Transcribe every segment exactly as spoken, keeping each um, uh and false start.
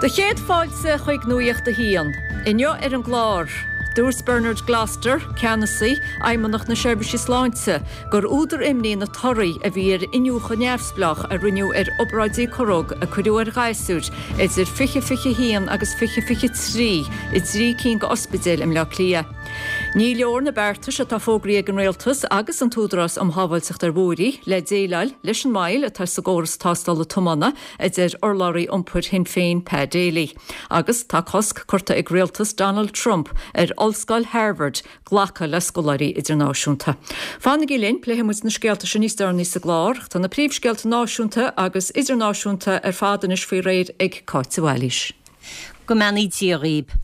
Do chéad fáilte chuig Nuacht a hAon. Inniu ar an gclár. Dúirt Bernard Gloster, ceannasaí Fheidhmeannacht na Seirbhíse Sláinte, gur údar imní na torthaí a bhí ar iniúchadh neamhspleách a rinneadh ar obráidí corróg a cuireadh ar ghasúir idir fiche fiche haon agus fiche fiche trí i dtrí cinn d'ospidéil i mBleá Cliath. Ní leor na beartais atá fógraithe ag an rialtas agus an tÚdarás um Shábháilteacht ar Bhóithre le déileáil leis an moill atá sa gcóras tástála tiomána a deir urlabhraí iompair Shinn Féin Pat Daly. Agus tá cosc curtha ag rialtas Donald Trump ar Ollscoil Harvard glacadh le scoláirí idirnáisiúnta. Fanaigí linn pléifidh muid na scéalta sin níos deireanaí sa gclár, tá na príomhscéalta náisiúnta agus idirnáisiúnta ar fad anois faoi réir ag Cáit Bhailís. Go mbeannaí Dia dhaoibh.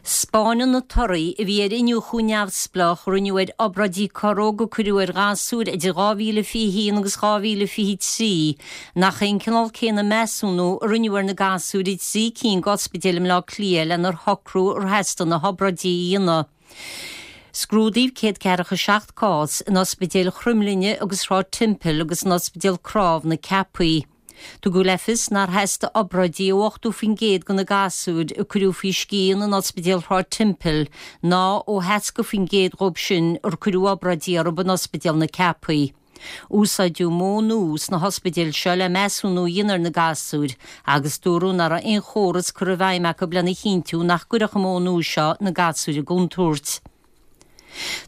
'Spáineann na torthaí a bhí ar iniúchadh neamhspleách a rinneadh ar obráidí corróg a cuireadh ar ghasúir idir dhá mhíle fiche haon agus dhá mhíle fiche trí nach é an cineál céanna measúnú a rinneadh ar na gasúir i dtrí cinn d'ospidéil i mBleá Cliath lenar shocrú ar theastaigh na hobráidí a dhéanamh. Scrúdaíodh céad ceathracha seacht cás in ospidéil Chromghlinne agus Shráid Temple agus in ospidéal Cnámh na Ceapaí. Tugadh le fios nár theastaigh obráidí ó ochtó faoin gcéad de na gasúir a cuireadh faoi scian in ospidéal Shráid Temple ná ó sheasca faoin gcéad dhóibh sin ar cuireadh obráidí orthu in ospidéal na Ceapaí. Úsáideadh modh nua sna hospidéil seo le measúnú a dhéanamh ar na gasúir agus dúradh nach raibh aon chóras curtha i bhfeidhm acu lena chinntiú nach gcuirfeadh an modh nua seo na gasúir i gcontúirt.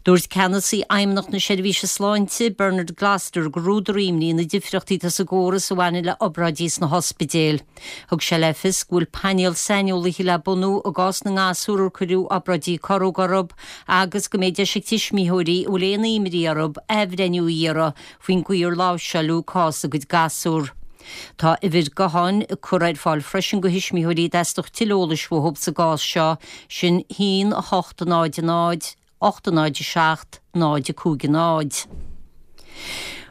Dúirt ceannasaí Fheidhmeannacht na Seirbhíse Sláinte, Bernard Gloster, gur údar imní na difríochtaí atá sa gcóras a bhaineann le obráidí sna hospidéil. Thug sé le fios go bhfuil painéal saineolaithe le bunú i gcás na ngasúr ar cuireadh obráidí corróg orthu agus go mbeidh deis ag tuismitheoirí a bhfuil aon imní orthu athbhreithniú a iarraidh faoin gcaoi ar láimhseáladh cás a gcuid gasúr. Tá uimhir gutháin curtha ar fáil freisin do thuismitheoirí a dteastódh tuilleadh eolais uathu sa gcás seo, sin haon a hocht náid náid, ocht náid a seacht, náid a cúig náid.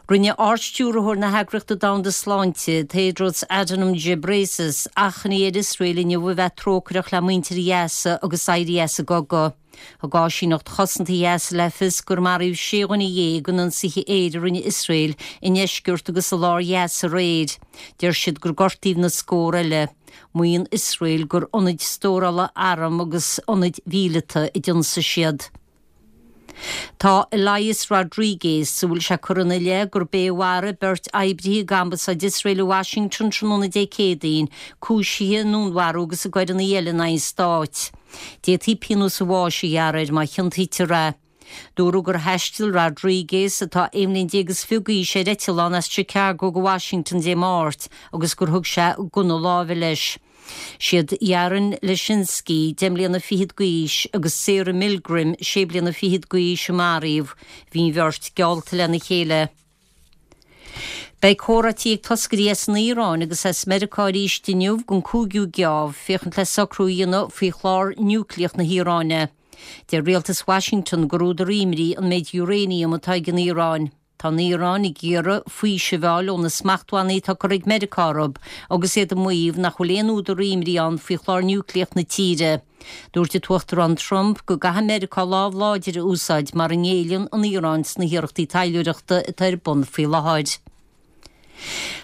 Rinne Ardstiúrthóir na hEagraíochta Domhanda Sláinte, Tedros Adhanom Ghebreyesus, achainí ar Iosrael inniu a bheith trócaireach le muintir Ghaza agus éirí as an gcogadh. Thug áisíneacht chosanta Ghaza le fios gur maraíodh sé dhuine dhéag in ionsaithe aeir a rinne Iosrael i ndeisceart agus i lár Ghaza aréir. Deir siad gur gortaíodh na scór eile. Maíonn Iosrael gur ionaid stórála arm agus ionaid mhíleata a d'ionsaigh siad. Tá Elias Rodriguez, a bhfuil sé curtha ina leith gurb é a mharaigh beirt oibrithe ag Ambasáid Iosrael i Washington tráthnóna Dé Céadaoin, cúisithe i ndúnmharú agus i gcoireanna eile in aghaidh an stáit. D'fhéadfaí pionós an bháis a ghearradh air má chiontaítear é. Dúradh gur thaistil Rodriguez, atá aon bhliain déag is fiche d'aois, ar eitleán as Chicago go Washington Dé Máirt agus gur thug sé gunna láimhe leis. Siad Yaron Lischinsky, deich mbliana fichead d'aois, agus Sarah Milgrim, sé bliana fichead d'aois, a maraíodh. Bhí an bheirt geallta lena chéile. Beidh comhráití ag toscairí as an Iaráin agus as Meiriceá arís inniu don cúigiú geábh féachaint le socrú a dhéanamh faoi chlár núicléach na hIaráine. Deir rialtas Washington gur údar imní an méid uranium atá ag an Iaráin. Tá an Iaráin ag iarraidh faoiseamh a fháil ó na smachtbhannaí atá curtha ag Meiriceá orthu agus iad ag maíomh nach bhfuil aon údar imní ann faoi chlár núicléach na tíre. Dúirt an tUachtarán Trump go gcaithfidh Meiriceá lámh láidir a úsáid mura ngéilleann an Iaráin sna hiarrachtaí taidhleoireachta atá ar bun faoi láthair.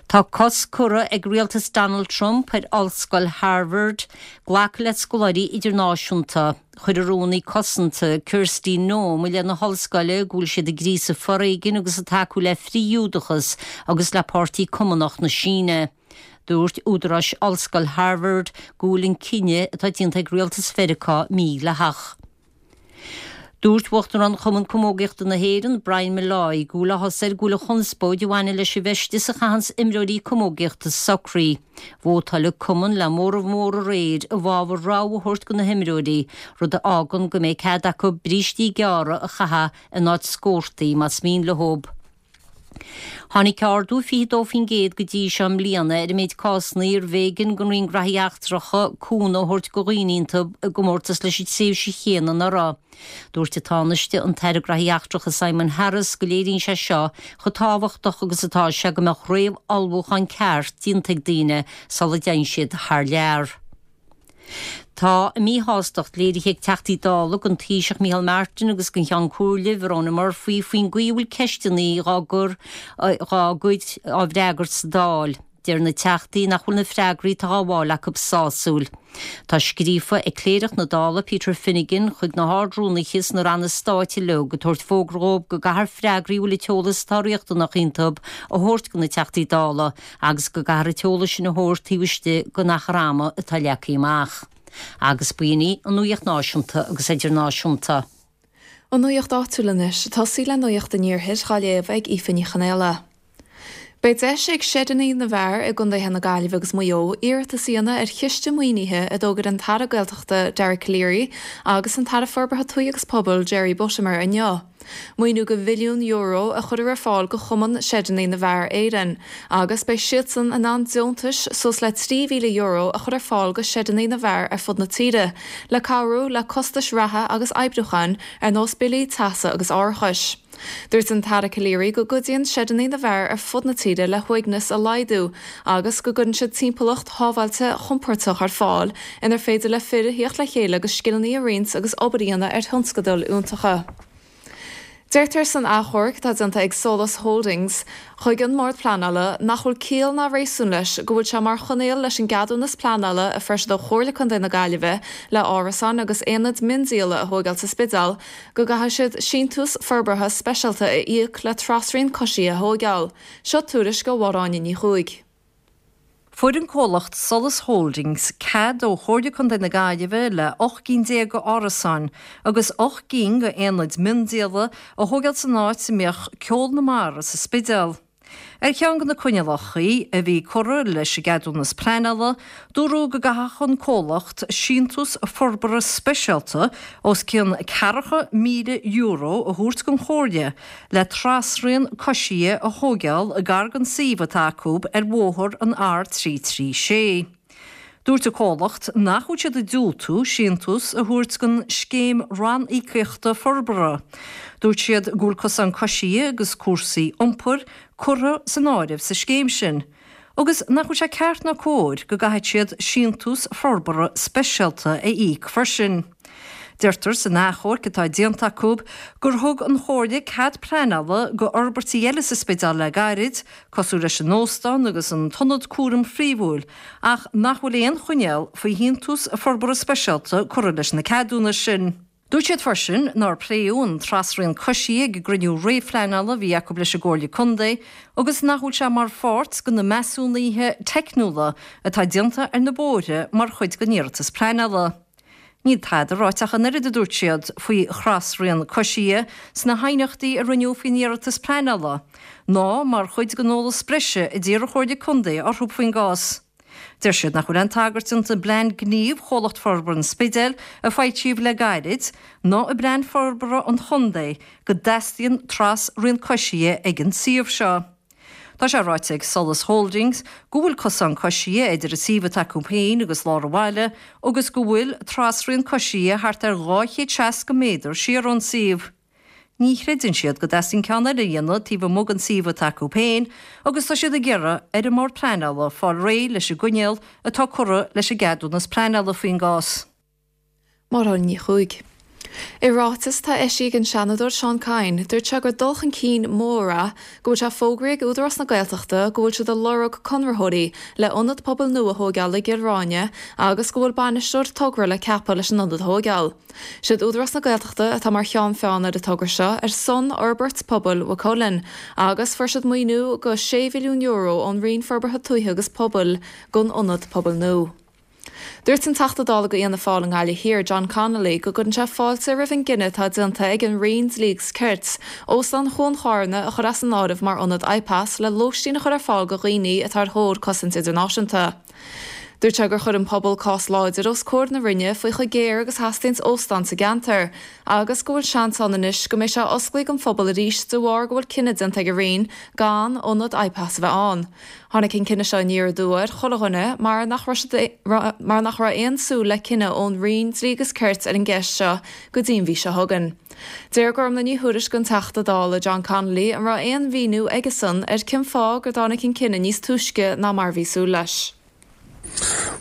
Tá cosc curtha ag rialtas Donald Trump ar Ollscoil Harvard glacadh le scoláirí idirnáisiúnta. Chuir an Rúnaí Cosanta, Kristi Noem, i leith na hollscoile go bhfuil siad ag gríosadh foréigin agus ag tacú le frith-Ghiúdachas agus le Páirtí Cumannach na Síne. Dúirt údaráis Ollscoil Harvard go bhfuil an cinneadh atá déanta ag rialtas Mheiriceá mídhleathach. Dúirt Uachtarán Chumann Camógaíochta na hÉireann, Brian Molloy, go bhfuil áthas air go bhfuil an chonspóid a bhaineann leis an bhfeisteas a chaitheanns imreoirí camógaíochta socraithe. Vótáil an cumann le móramh mór aréir i bhfabhar rabhadh a thabhairt do na himreoirí, rud a fhágann go mbeidh cead acu brístí gearra a chaitheamh in áit scórtaí más mian leo. Tháinig ardú fiche dó faoin gcéad go dtí seo i mbliana ar an méid cásanna arbh éigean don Roinn Gnóthaí Eachtracha cúnamh a thabhairt do dhaoine iontu i gcomórtas leis an tréimhse chéanna anuraidh. Dúirt an Tánaiste, an tAire Gnóthaí Eachtracha Simon Harris go léiríonn sé seo chomh tábhachtach agus atá sé go mbeadh réamh-ullmhúchán ceart déanta ag daoine sula dtéann siad thar lear. Tá a míshástacht léirithe ag Teachtaí Dála don Taoiseach Micheál Martin agus don Cheann Comhairle, Verona Murphy, faoin gcaoi a bhfuil ceisteanna dhá gcur dhá gcuid á bhfreagairt sa Dáil. deir na teachtaí nach bhfuil na freagraí atá á bhfáil acu sásúil. Tá scríofa ag Cléireach na Dála Peter Finnegan chuig na hArd-Rúnaithe sna ranna stáit uilig ag tabhairt fógra dóibh go gcaithfear freagraí a bhfuil an t-eolas atá riachtanach iontu a thabhairt do na Teachtaí Dála agus go gcaithfear an t-eolas sin a thabhairt taobh istigh den achar ama atá leagtha amach. Agus b'in í an nuacht náisiúnta agus idirnáisiúnta. An nuacht áitiúil anois tosaí le nuacht an iarthair á léamh ag Aoife Ní Chonaola. Beidh deis ag seideanna na bhfear i gcontaetha na Gaillimhe agus Maigh Eo iarratas a dhéanamh ar chiste maoinithe a d'fhógair an tAire Gaeltachta Dara Calleary agus an tAire Forbartha Tuaithe agus Pobail Jerry Buttimer inniu. Maoiniú go mhilliún euro a chuirfear ar fáil go Chumann Seideanna na bhFear Éireann, agus beidh siadsan in ann deontais suas le trí mhíle euro a chur ar fáil go seideanna na bhfear ar fud na tíre, le cabhrú le costais reatha agus oibriúcháin ar nós billí teasa agus árachais. Dúirt an tAire Calleary go gcuidíonn seideanna na bhfear ar fud na tíre le huaigneas a laghdú agus go gcuireann siad timpeallacht shábháilte chompordach ar fáil inar féidir le fir a theacht le chéile agus scileanna a roinnt agus obair a dhéanamh ar thionscadail fhiúntacha. Deirtear san achomharc atá déanta ag Solas Holdings chuig an mBord Pleanála nach bhfuil ciall ná réasún leis go bhfuil sé mar choinníoll leis an gceadúnas pleanála a fuair siad ó Chomhairle Contae na Gaillimhe le árasáin agus aonaid miondíola a thógáil sa Spidéal go gcaithfidh siad síntiús forbartha speisialta a íoc le trasrian coisí a thógáil. Seo tuairisc ó Mháire Ní Chuaig. Fuair an comhlacht Solas Holdings cead ó Chomhairle Contae na Gaillimhe le ocht gcinn déag d'árasáin agus ocht gcinn d'aonaid miondíola a thógáil san áit a mbeadh Ceol na Mara sa Spidéal. Ar cheann de na coinníollacha a bhí curtha leis an gceadúnas pleanála, dúradh go gcaithfeadh an comhlacht síntiús forbartha speisialta os cionn ceathracha míle euro a thabhairt don Chomhairle le trasrian coisithe a thógáil gar don suíomh atá acu ar bhóthar an R trí trí sé. Dúirt an comhlacht nach bhfuil siad ag diúltú síntiús a thabhairt don scéim ranníocaíochta forbartha. Dúirt siad go bhfuil cosán coisithe agus cúrsaí iompair curtha san áireamh sa scéim sin, agus nach bhfuil sé ceart ná cóir go gcaithfidh siad síntiús forbartha speisialta a íoc freisin. Deirtear san achomharc atá déanta acu gur thug an Chomhairle cead pleanála go fhorbairtí eile sa Spidéal le gairid, cosúil leis an óstán agus an t-ionad cúraim phríomhúil, ach nach bhfuil aon choinníoll faoi shíntiús forbartha speisialta curtha leis na ceadúnais sin. Dúirt siad freisin nár pléadh an trasrian coisithe ag an gcruinniú réamhphleanála a bhí acu leis an gComhairle Contae agus nach bhfuil sé mar pháirt de na measúnuithe teicniúla atá déanta ar na bóithre mar chuid den iarratas pleanála. Níl tada ráite ach an oiread a dúirt siad faoi thrasrian coisithe sna haighneachtaí a rinneadh faoin iarratas pleanála, ná mar chuid den eolas breise a d'iarr an Chomhairle Contae orthu faoin gcás. Deir siad nach bhfuil aon tagairt déanta i bplean gnímh Chomhlacht Forbartha an Spidéil a foilsíodh le gairid, ná i bplean forbartha an chontae go dteastaíonn trasrian coisithe ag an suíomh seo. Tá sé ráite ag Solas Holdings go bhfuil cosán coisithe idir an suíomh atá acu féin agus lár an bhaile agus go bhfuil trasrian coisithe thart ar dhá chéad seasca méadar siar ón suíomh. Ní chreideann siad go dteastaíonn ceann eile a dhéanamh taobh amuigh den suíomh atá acu féin agus tá siad ag iarraidh ar an mBord Pleanála fáil réidh leis an gcoinníoll atá curtha leis an gceadúnas pleanála faoin gcás. Máire Ní Chuaig. I ráiteas atá eisithe ag an Seanadóir Seán Kyne, dúirt sé gur dul chun cinn mór é go bhfuil sé fógraithe ag Údarás na Gaeltachta go bhfuil siad ag lorg conraitheoirí le ionad pobail nua a thógáil i gCill Ráine agus go bhfuil bainisteoir togra le ceapadh leis an ionad a thógáil. Siad Údarás na Gaeltachta atá mar cheann feadhain ar an togra seo ar son fhorbairt pobail Mhaigh Cuilinn agus fuair siad maoiniú go sé mhilliún euro ón Roinn Forbartha Tuaithe agus Pobail don ionad pobail nua. Dúirt an Teachta Dála do Fhianna Fáil i nGaillimh Thiar, John Connolly, go gcuireann sé fáilte roimh an gcinneadh atá déanta ag an Roinn Dlí agus Cirt, Óstán Chuan Charna a chur as an áireamh mar ionad IPAS le lóistín a chur ar fáil do dhaoine atá ar thóir cosaint idirnáisiúnta. Dúirt sé gur chuir an pobal cás láidir os comhair na Roinne faoi chomh géar agus theastaíonn óstán sa gceantar, agus go bhfuil seans ann anois go mbeidh sé osclaithe don phobal arís de bharr go bhfuil cinneadh déanta ag an Roinn gan ionad IPAS a bheith ann. Tháinig an cinneadh seo aniar aduaidh ar chuile dhuine mar nach raibh mar nach raibh aon súil le cinneadh ón Roinn Dlí agus Cirt ar an gceist seo go dtí an mhí seo chugainn. D'iarr Gormlaith Ní Thuairisg den Teachta Dála John Connolly an raibh aon mhíniú aigesan ar cén fáth gur dtáinig an cinneadh níos túisce ná mar bhí súil leis.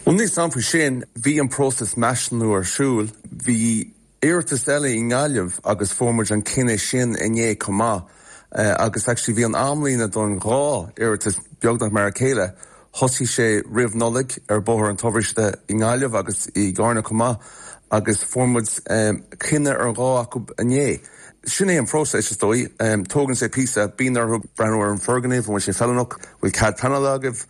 Well níl a fhios agam faoi sin, bhí an próiseas measúnú ar siúl, bhí iarratas eile i nGaillimh agus fuair muid an cinneadh sin inné chomh maith. Uh, agus actually bhí an amlíne don dhá iarratas beagnach mar a chéile. Thosaigh sé roimh Nollaig ar Bhóthar an Tobaiste i nGaillimh agus i gCarna chomh maith agus fuair muid cinneadh ar dhá acu inné. Sin é an phróiseas is dóigh, tógann sé píosa, bíonn orthu breathnú ar an foirgneamh, an bhfuil sé feiliúnach, bhfuil cead pleanála agaibh,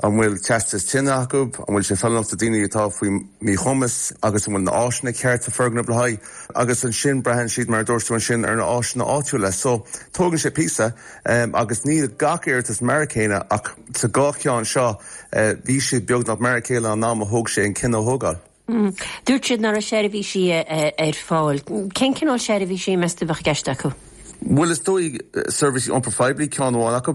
an bhfuil teastas tine acu, an bhfuil sé feiliúnach do daoine atá faoi mhíchumas agus an bhfuil na áiseanna ceart sa foirgneamh le haghaidh agus ansin braitheann siad mar a dúirt tú ansin ar na áiseanna áitiúla. So tógann sé píosa agus níl gach iarratas mar a chéile ach sa dhá cheann seo bhí siad beagnach mar a chéile an am a thóg sé an cinneadh a thógáil. Dúirt siad nach raibh seirbhísí ar fáil. Cén cineál seirbhísí meas tú a bheadh i gceist acu? Bhuel is dóigh seirbhísí iompair phoiblí ceann amháin acu,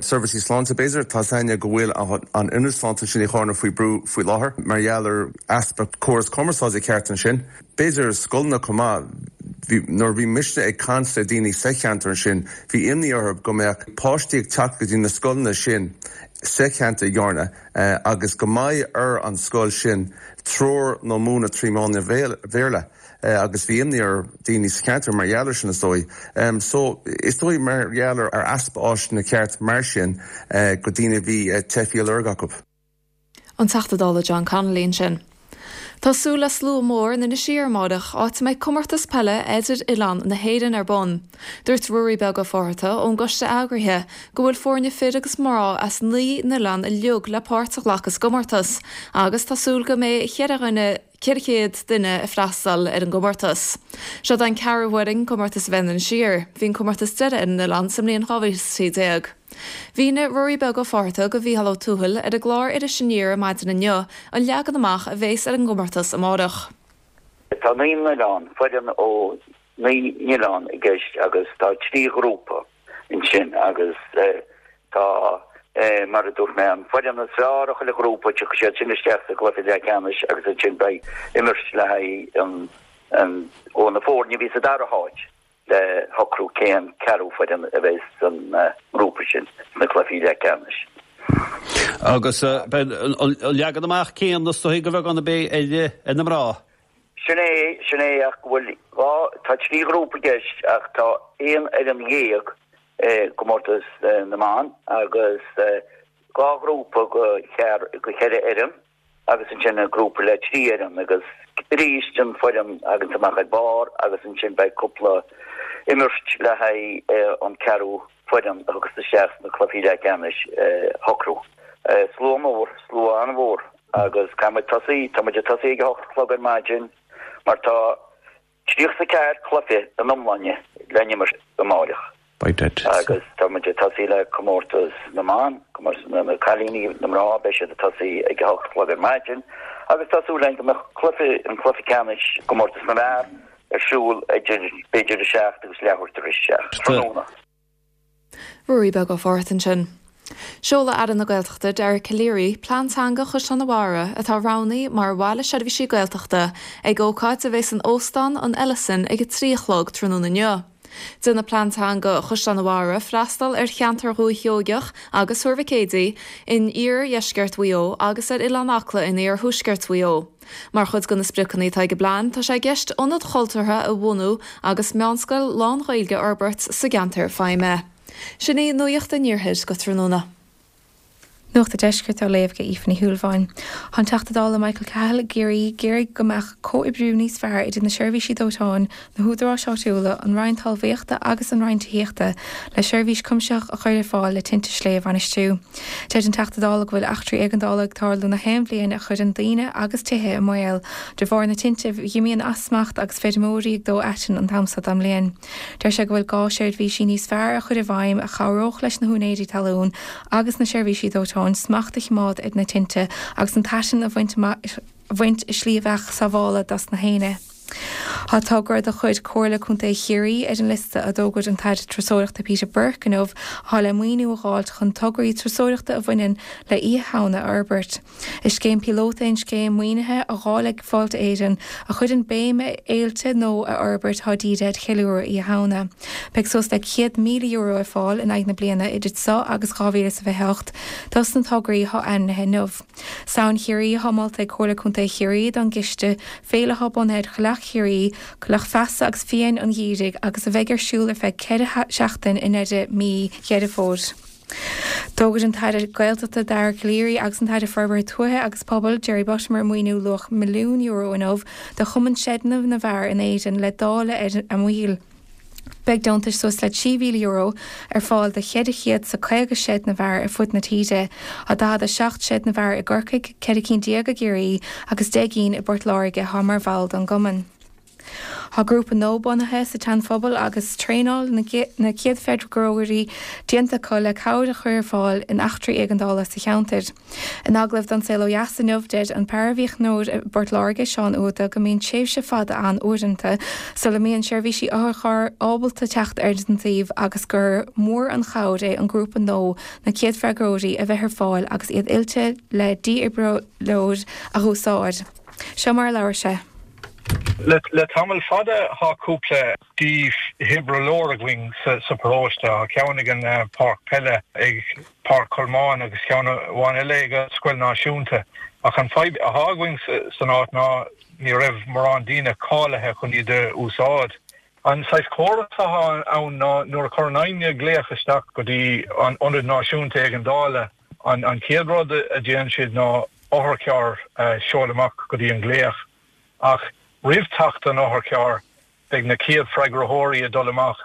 seirbhísí sláinte b'fhéidir, tá a fhios againne go bhfuil an ionad sláinte sin i Charna faoi brú faoi láthair mar gheall ar easpa córas cumarsáide ceart ansin. B'fhéidir scoileanna chomh maith. Bhí, nuair a bhí mise ag caint le daoine sa cheantar ansin, bhí imní orthu go mbeadh páistí ag teacht go dtí na scoileanna sin sa cheantar i gCarna agus go mbeidh ar an scoil sin treoir nó múineadh trí mheán an Bhéarla agus bhí imní ar daoine sa cheantar mar gheall ar sin is dóigh. So is dóigh mar gheall ar easpa áiseanna ceart mar sin go daoine a bhí teifigh á lorg acu. An Teachta Dála John Connolly ansin. Tá súil le slua mór in Inis Oírr amárach, áit a mbeidh comórtas peile idir oileáin na hÉireann ar bun. Dúirt Ruairí Beag Ó Fátharta ón gcoiste eagraithe go bhfuil foirne fir agus mná as naoi n-oileán uilig le páirt a ghlacadh sa gcomórtas agus tá súil go mbeidh cheithre dhuine ceithre chéad duine ag freastal ar an gcomórtas. Seo an ceathrú huair an comórtas a bheith in Inis Oírr. Bhí an comórtas deiridh ar an oileán sa mbliain dhá mhíle is a trí déag. Mhínigh Ruairí Beag Ó Fátharta do Mhícheál Ó Tuathail ar an gclár Iris Aniar ar maidin inniu an leagan amach a bheas ar an gcomórtas amárach. Tá naoi n-oileán, foireann ó naoi n-oileán i gceist agus tá trí ghrúpa ansin agus tá, mar a dúirt mé, an foireann is fearr ó chuile ghrúpa, tiocfaidh siad sin isteach sa gcluiche leathcheannais agus ansin beidh imirt le haghaidh an, ó na foirne a bhí sa dara háit. le shocrú cén ceathrú foireann a bheidh san ngrúpa sin sna cluichí leathcheannais. Agus beidh an leagan amach céanna is dóigh go bheag a bheidh ar na mná. Sin é, sin é ach go bhfuil dhá, tá trí ghrúpa i gceist ach tá aon fhoireann dhéag i gcomórtas na mban agus dhá ghrúpa go cheithre fhoireann. agus ansin an grúpa le trí fhoireann agus arís an foireann a thaganns amach ar barr agus ansin beidh cúpla imirt le haghaidh an ceathrú foireann a thiocfas isteach sna cluichí leathcheannais a shocrú. Slua mór, slua an-mhór agus caithfidh muid tosaí, tá muid ag tosaí ag a hocht a chlog ar maidin mar tá tríocha is a ceathair cluiche in iomláine le n-imirt amáireach. Agus tá muid ag tosaí le comórtas na mban, comórtas na cailíní, na mná, beidh siad ag tosaí ag a hocht a chlog ar maidin agus tá súil againn go mbeadh cluiche, an cluiche ceannais, comórtas na bhfear, ar siúl idir b'fhéidir a seacht agus leathuair tar éis a seacht tráthnóna. Ruairí Beag Ó Fátharta ansin. Seolfaidh Aire na Gaeltachta Dara Calleary plean teanga Chaisleán an Bharraigh, atá roghnaithe mar Bhaile Seirbhísí Gaeltachta, ag ócáid a bheidh san Óstán an Ellison ag a trí a chlog tráthnóna inniu. Déanfaidh plean teanga Chaisleán an Bharraigh freastal ar cheantar Dhúiche Sheoigeach agus Thuar Mhic Éadaigh in iardheisceart Mhaigh Eo agus ar Oileán Acla in iarthuaisceart Mhaigh Eo. Mar chuid de na spriocanna atá ag an bplean, tá sé i gceist ionad cultúrtha a bhunú agus meánscoil lán-Ghaeilge a fhorbairt sa gceantar feidhme. Sin í Nuacht an Iarthair go tráthnóna. Nuacht an Deiscirt á léamh ag Aoife Ní Shúilleabháin. Tá an Teachta Dála Michael Cahill i gCiarraí ag iarraidh go mbeadh comhoibriú níos fearr idir na seirbhísí dóiteáin, na húdaráis áitiúla, an Roinn Talmhaíochta agus an Roinn Tithíochta le seirbhís cuimsitheach a chur ar fáil le tinte sléibhe a bhainistiú. Deir an Teachta Dála go bhfuil eachtraí éigeandála ag tarlú na haon bhliain a chuireann daoine agus tithe i mbaol de bharr na tinte a imíonn as smacht agus feirmeoirí ag dó aiteann an t-am seo den mbliain. Deir sé go bhfuil gá seirbhísí níos fearr a chur i bhfeidhm a chabhródh leis na húinéirí talún agus na seirbhísí dóiteáin smacht a choimeád ar na tinte agus an t-aiteann a bhaint i slí a bheadh sábhála dos na héinne. Tá togra de chuid Chomhairle Contae Chiarraí ar an liosta a d'fhógair an tAire Turasóireachta Peter Burke inniu atá le maoiniú a dh'fháilt chun tograí turasóireachta a bhaineann le Oíche Shamhna a fhorbairt. Is scéim píolóta é an scéim maoinithe á dháileadh ag Fáilte Éireann a chuireann béim ar fhéilte nó a fhorbairt atá dírithe ar cheiliúradh Oíche Shamhna. Beidh suas le céad míle euro ar fáil in aghaidh na bliana idir seo agus dhá mhíle is a fiche a hocht dos na tograí atá ainmnithe inniu. Samhain Chiarraí atá molta ag Comhairle Contae Chiarraí don gciste, féile atá bunaithe ar Choileach Chiarraí, Coileach Feasa agus Fiáin an Gheimhridh agus a bheidh ar siúl ar feadh ceithre sheachtain i ndeireadh mí Dheireadh Fómhair. D'fhógair an tAire Gaeltachta Dara Calleary agus an tAire Forbartha Tuaithe agus Pobail Jerry Buttimer maoiniú luach milliún euro inniu do Chumann Seideanna na bhFear in Éirinn le dáileadh ar a mbaill. Beidh deontais suas le trí mhíle euro ar fáil do cheithre chéad is caoga seid na bhfear ar fud na tíre, tá daichead a seacht seid na bhfear i gCorcaigh, ceithre cinn déag i gCiarraí agus deich gcinn i bPort Láirge atá mar bhall don gcumann. Tá grúpa nua bunaithe sa tSeanphobal agus traenáil na chéad freagróirí déanta acu le cabhair a chur ar fáil in eachtraí éigeandála sa cheantar. In agallamh don Saol Ó Dheas inniu, deir an paraimhíochaineoir i bPort Láirge, Seán Uada, go mbíonn tréimhse fada ann uaireanta sula mbíonn seirbhísí otharchairr ábalta teacht ar an suíomh agus gur mór an chabhair é an grúpa nua na chéad freagróirí a bheith ar fáil agus iad oilte le dífhibrileoir a úsáid. Seo mar a labhair sé. Le tamall fada tá cúpla dífhibrileoir againn sa paróiste, tá ceann ag an páirc peile ag Páirc Cholmáin agus ceann amháin eile ag an Scoil Náisiúnta. Ach an fadhb atá againn san áit ná ní raibh mórán daoine cáilithe chun iad a úsáid. An saghas córas atá ann ná nuair a chuireann éinne glaoch isteach go dtí an Ionad Náisiúnta Éigeandála, an chéad rud a dhéanann siad ná otharcharr a sheoladh amach go dtí an glaoch. Ach roimh teacht an otharchairr, beidh na chéad freagraitheoirí ag dul amach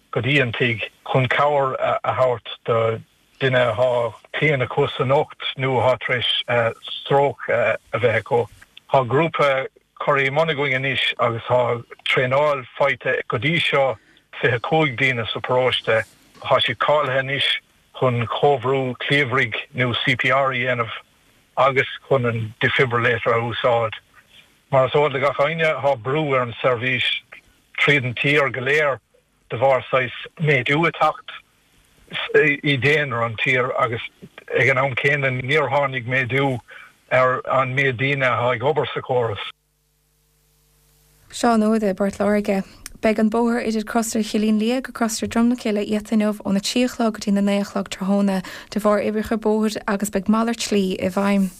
go dtí an tigh chun cabhair a thabhairt do duine atá claon acu san ucht nó atá tar éis stróc a bheith acu. Tá grúpa curtha i mbun againn anois agus tá traenáil faighte go dtí seo fiche cúig daoine sa paróiste. Tá siad cáilithe anois chun comhbhrú cliabhraigh nó CPR a dhéanamh agus chun an defibrillator a úsáid. Mar is eol do gach éinne, tá brú ar an seirbhís tríd an tír go léir de bharr saghas méadú ag teacht i daonra an tír agus ag an am céanna níor tháinig méadú ar an méid daoine atá ag obair sa chóras. Seán Ó i bPort Láirge. Beidh an bóthar idir Crosaire Chillín Liath go Crosaire Droim na Cille iata inniu óna trí a chlog go dtí na naoi a chlog tráthnóna de bharr oibreacha bóthair agus beidh malairt slí i bhfeidhm.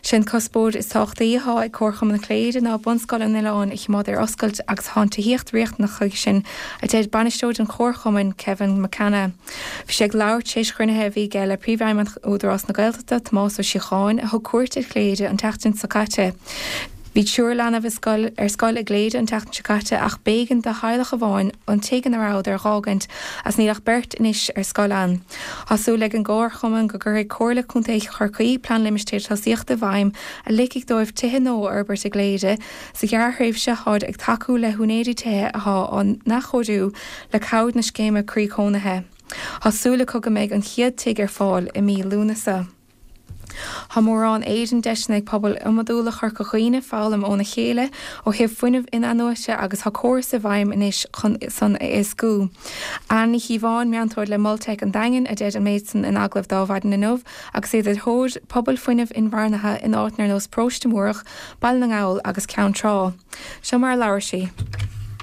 Sé an cuspóir is tábhachtaí atá ag Comharchumann na Cléire ná Bunscoil an Oileáin a choimeád ar oscailt agus tá an tithíocht riachtanach chuige sin, a deir bainisteoir an Chomharchumainn, Kevin McCanna. Bhí sé ag labhairt tar éis chruinnithe a bhí aige le Príomhfheidhmeannach Údarás na Gaeltachta, Tomás Ó Síocháin, a thug cuairt ar Chléire an tseachtain seo caite. Bhí triúr leanbh i scoil ar scoil i gCléire an tseachtain seo caite ach b'éigean do theaghlach amháin an tigh ina rabhadar a dh'fhágaint as níl ach beirt anois ar scoil ann. Tá súil ag an gComharchumann go gcuirfidh Comhairle Contae Chorcaí Plean Limistéir Tosaíochta i bhfeidhm a ligfidh dóibh tithe nua a fhorbairt i gCléire sa ghearrthréimhse táid ag tacú le húinéirí tithe atá á n-athchóiriú le cabhair na scéime Croí Cónaithe. Tá súil acu go mbeidh an chéad tigh ar fáil i mí Lúnasa. Tá mórán éireann deiseanna ag pobail iomadúla Chorca Dhuibhne foghlaim óna chéile ó thaobh fuinneamh in-athnuaite agus tá córas i bhfeidhm anois chun san a éascú. Anne Ní Chíobháin, meantóir le Molteic an Daingin, a deir an méid san in agallamh d'Adhmhaidin inniu agus iad ar thóir pobail fuinnimh inmharthana in áiteanna ar nós Paróiste Múrach, Baile na nGall agus Ceann Trá. Seo mar a labhair sí.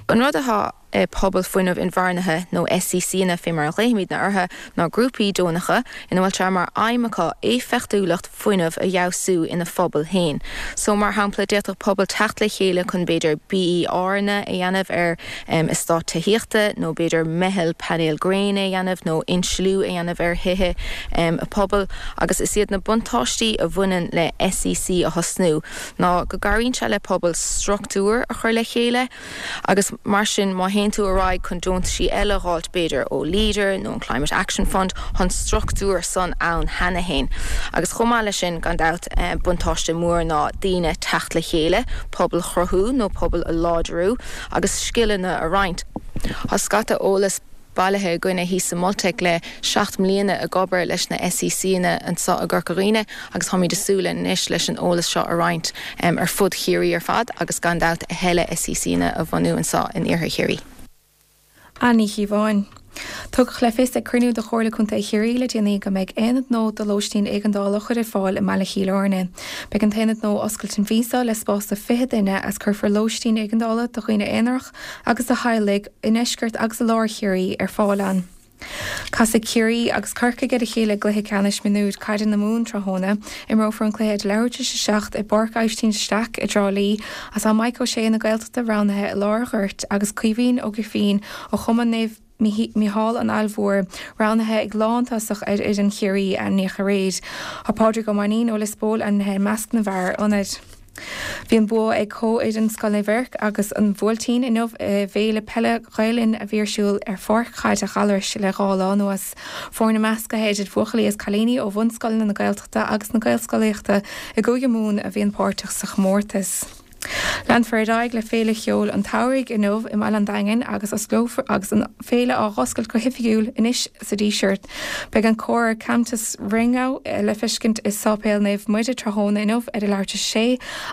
An rud atá i Pobal Fuinnimh Inmharthana, nó SECanna fé mar a ghlaoimidne orthu, ná grúpaí deonacha ina bhfuil sé mar aidhm acu éifeachtúlacht fuinnimh a fheabhsú ina phobal féin. So, mar shampla, d'fhéadfadh pobal teacht le chéile chun b'fhéidir BERanna a dhéanamh ar eastát tithíochta nó b'fhéidir meitheal painéal gréine a dhéanamh nó insliú a dhéanamh ar thithe a pobail. Agus is iad na buntáistí a bhaineann le SEC a thosnú ná go gcabhraíonn sé le pobal struchtúr a chur le chéile, Agus mar sin, má théann tú ar aghaidh chun deontaisí eile a dh'fháilt, b'fhéidir ó Leader nó an Climate Action Fund, tá an struchtúr san ann cheana fhéin. Agus chomh maith leis sin, gan dabht, buntáiste mór ná daoine teacht le chéile, pobal a chruthú nó pobal a láidriú agus scileanna a roinnt. Tá scata eolas bailithe againne thíos sa Molteic le seacht mbliana ag obair leis na SECanna anseo i gCorca Dhuibhne agus táimid ag súil anois leis an eolas seo a roinnt ar fud Chiarraí ar fad agus gan dabht a thuilleadh SECanna a bhunú anseo in Iarthar Chiarraí. Anne Ní Chíobháin. Tugadh le fios ag cruinniú de Chomhairle Contae Chiarraí le déanaí go mbeidh aonad nua do lóistín éigeandála á chur ar fáil i mBaile Chill Airne. Beidh an t-aonad nua oscailte an mhí seo le spás do fiche duine as cuirfear lóistín éigeandála do dhaoine aonarach agus do theaghlaigh i ndeisceart agus i lár Chiarraí ar fáil ann. Casfaidh Ciarraí agus Corcaigh ar a chéile i gcluiche ceannais mionúir caide na Mumhan tráthnóna. Imreofar an cluiche ag leathuair tar éis a seacht i bPáirc Aibhistín de Staic i dTrá Lí as tá Mike Ó Sé na Gaeltachta roghnaithe i lár an ghoirt agus Caoimhín Ó Grifín ó Chumann Naomh Mícheál an Aill Mhóir roghnaithe ag lántosach ar fhoireann Chiarraí ainmníodh aréir. Tá Pádraig Ó Mainnín ó Lios Póil ainmnithe i measc na bhfear ionaid. Bhí an bua ag comhfhoireann Scoil Naomh Eirc agus an Bhuailtín inniu i bhFéile Peile Ghael Linn a bhí ar siúl ar pháirc chaide Ghallarais le dhá lá anuas. Foirne measctha idir bhuachaillí is cailíní ó bhunscoileanna na Gaeltachta agus na Gaelscolaíochta i gCúige Mumhan a bhíonn páirteach sa chomórtas. Leanfar ar aghaidh le Féile Cheoil an tSamhraidh inniu i mbaile an Daingin agus osclófar agus an féile á dh'oscailt go hoifigiúil anois sa Díseart. Beidh an cór Cantus Ringo le feiscint i Sáipéal Naomh Muire tráthnóna inniu ar a leathuair tar éis a sé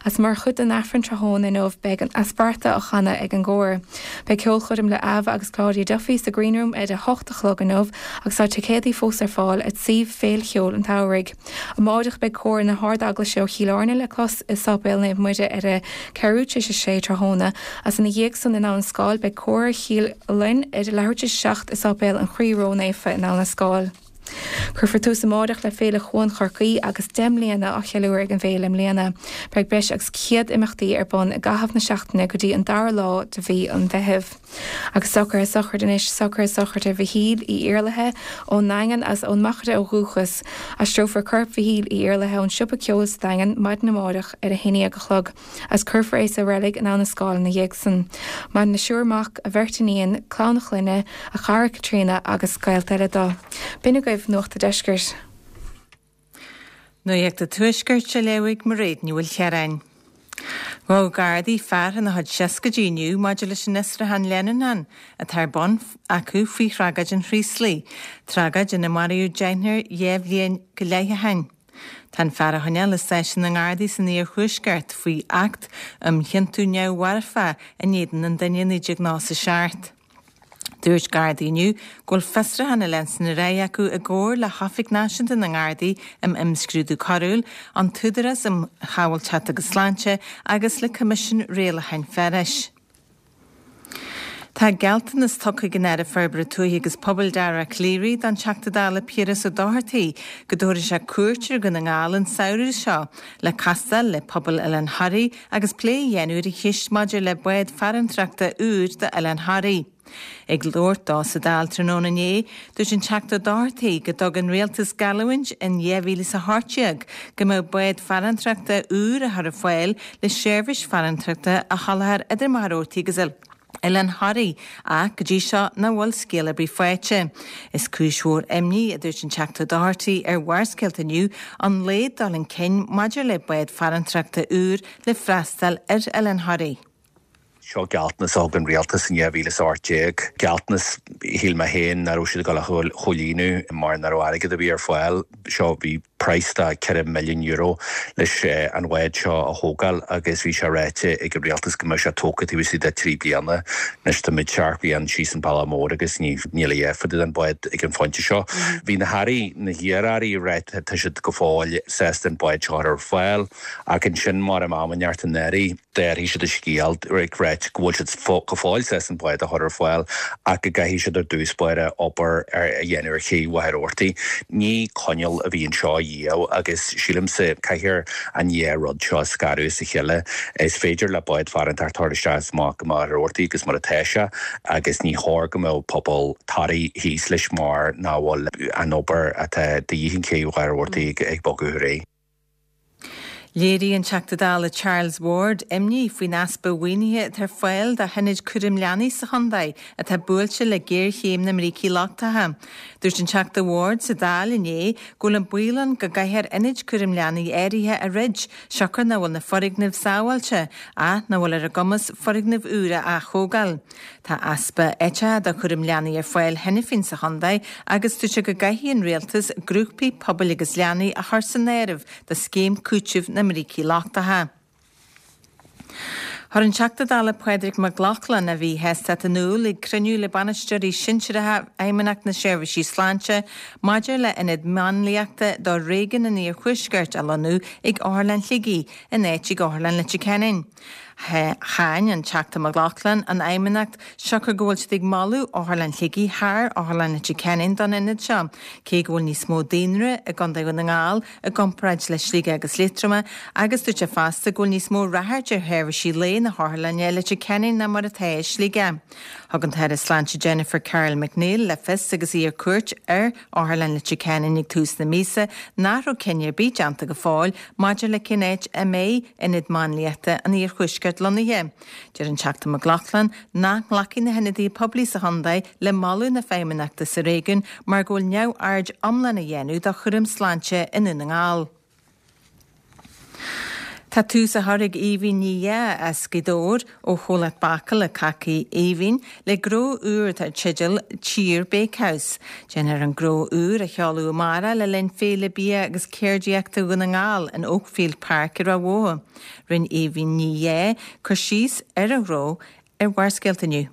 agus mar chuid den Aifreann tráthnóna inniu beidh an Asperta á chanadh ag an gcór. Beidh ceolchoirm le Ava agus Claudia Duffy sa Green Room ar a hocht a chlog inniu agus tá ticéadaí fós ar fáil at suíomh Féile Cheoil an tSamhraidh. Amáireach beidh cór na hArd-Eaglaise ó Chill Airne le clos i Sáipéal Naomh Muire ar a ceathrú tar éis a sé tráthnóna agus ina dhiaidh san in Abhainn an Scáil beidh cór Chill Fhloinn ar a leathuair tar éis a seacht i Sáipéal an Chroí Ró-Naofa in Abhainn an Scáil. Cuirfear tús amáireach le Féile Chuan Chorcaí agus deich mbliana á cheiliúradh ag an bhféile i mbliana. Beidh breis agus céad imeachtaí ar bun i gcaitheamh na seachtaine go dtí an dara lá de mhí an Mheithimh. Agus socruithe sochraide anois, socruithe sochraide Mhichíl Uí Iarlaithe ón nDaingean agus ón Machaire ó dhúchas. Aistreofar corp Mhichíl Uí Iarlaithe ón Siopa Ceoil sa Daingean maidin amárach ar a haon déag a chlog agus cuirfear é sa reilig in Abhainn an Scáil ina dhiaidh san. Maireann a thriúr mac, a bheirt iníon, clann a chlainne, a chara Caitríona agus gaolta eile dó. B'in agaibh Nuacht a' Deiscirt. Nuacht a' Tuaiscirt á léamh ag Mairéad Ní Mhaoilchiaráin. Ghabh Gardaí fear ina chuid seascaidí inniu maidir leis an fhiosrúchán leanúnach atá ar bun acu faoi thragóid an Chraoslaigh, tragóid ina maraíodh deichniúr dhá bhliain go leith ó shin. Tá an fear á choinneáil i stáisiún na nGardaí san iarthuaisceart faoi Acht um Chiontú Neamh-Mharfach in éadan an duine naoi déag nócha a seacht. Dúirt Gardaí inniu go bhfuil fiosrúchán á leanstan ar aghaidh acu i gcomhar le hOifig Náisiúnta na nGardaí um Imscrúdú Coiriúil, an tÚdarás um Shábháilteacht agus Sláinte agus le Coimisiún Rialacháin Fearais. Tá gealltanas tugtha ag an Aire Forbartha Tuaithe agus Pobail Dara Calleary don Teachta Dála Piaras Ó Dochartaigh go dtabharfaidh sé cuairt ar Dhún na nGall an samhradh seo le castáil le pobal Oileán Thoraí agus plé a dhéanamh ar an cheist maidir le bád farantrachta úr d'Oileán Thoraí. Ag labhairt dó sa Dáil tráthnóna inné, dúirt an Teachta Ó Dochartaigh go dtug an Rialtas geallúint in dhá mhíle is a hocht déag go mbeadh bád farantrachta úr á chur ar fáil le seirbhís farantrachta a sholáthar idir Machaire Rabhartaigh agus Oileán Thoraí ach go dtí seo nach bhfuil scéal ar bith faighte. Is cúis mhór imní, a dúirt an Teachta Ó Dochartaigh ar Bharrscéalta inniu, an laghad dul chun cinn maidir le bád farantrachta úr le freastal ar Oileán Thoraí. Seo gealltanas a thug an rialtas in dhá mhíle is a hocht déag, gealltanas, shíl mé féin, nach raibh siad ag dul a chomhlíonadh mar nach raibh airgead ar bith ar fáil. Seo, bhí praghas de ceithre milliún euro leis an bhád seo a thógáil agus bhí sé ráite ag an rialtas go mbeadh sé tógtha taobh istigh de trí bliana. Anois táimid seacht bliain síos an bealach mór agus níl a dhath fá dtaobh den bhád ag an phointe seo. Bhí na hairí, na hiar-airí ag ráit tá siad go fóill sásta an bád seo a chur ar fáil ach ansin mar am inteacht anuraidh, D'athraigh siad a scéal ag ráit go bhfuil siad go fóill sásta an bád a chur ar fáil ach go gcaithfidh siad ar dtús báire obair a dhéanamh ar ché Mhachaire Rabhartaigh. Ní coinníoll a bhí anseo riamh agus sílimse caithfear an dhá rud seo a scaradh as a chéile. Is féidir le bád farantacht a chur isteach is amach go Machaire Rabhartaigh agus mar atá sé agus ní chóir go mbeadh pobal Thoraí thíos leis mar nach bhfuil an obair atá de dhíth an ché Mhachaire Rabhartaigh ag bogadh ar aghaidh. Léirigh an Teachta Dála Charles Ward imní faoin easpa mhaoinithe atá ar fáil do hionaid cúraim leanaí sa chontae atá buailte le géarchéim na mbrící lochtacha. Dúirt an Teachta Ward sa Dáil inné go bhfuil an baol ann go gcaithfear ionaid cúraim leanaí áirithe a dhruid siocair nach bhfuil na foirgnimh sábháilte ach nach bhfuil ar a gcumas foirgnimh úra a ath-thógáil. Tá easpa áiteacha do chúram leanaí ar fáil cheana féin sa chontae agus dúirt sé go gcaithfidh an rialtas grúpaí pobail agus leanaí a chur san áireamh do scéim cúitimh na mbrící lochtacha. Chuir an Teachta Dála Pádraig Mac Lochlainn a mhíshástacht in iúl ag cruinniú le bainisteoirí sinsearacha Fheidhmeannacht na Seirbhísí Sláinte maidir le hionad máinliachta do réigiún an Iarthuaiscirt a lonnú ag Otharlann Shligigh in áit ag Otharlann Leitir Ceanainn. Cháin an Teachta Mac Lochlainn an Fheidhmeannacht siocair go bhfuil siad ag moladh Otharlann Shligigh thar Otharlann Leitir Ceanainn don ionad seo, cé go bhfuil níos mó daonra i gContae Dhún na nGall i gcomparáid le Sligeach agus Liatroma agus dúirt sé fosta go bhfuil níos mó ráchairt ar sheirbhísí lae na hotharlainne i Leitir Ceanainn ná mar atá i Sligeach. Thug an tAire Sláinte Jennifer Carroll MacNeill le fios agus í ar cuairt ar Otharlann Leitir Ceanainn ag tús na míosa nach raibh cinneadh ar bith déanta go fóill maidir le cén áit a mbeidh Ionad Máinliachta an Iarthuaiscirt lonnaithe. Deir an Teachta Mac Lochlainn nach nglacfaidh na hionadaithe poiblí sa chontae le moladh na Feidhmeannachta sa réigiún mar go bhfuil neamhaird iomlán á dhéanamh do chúram sláinte i nDún na nGall. Tá tús á chur ag Aoibhinn Ní Dheá as Gaoth Dobhair ó chomhlacht bácála Cácaí Aoibhinn le gnó úr atá dar teideal Tír Bakehouse. Déanfar an gnó úr a sheoladh amárach le linn Féile Bia agus Ceardaíochta Dhún na nGall in Oakfield Park i Ráth Bhoth. Rinne Aoibhinn Ní Dhea cur síos ar a gnó ar Bharrscéalta inniu.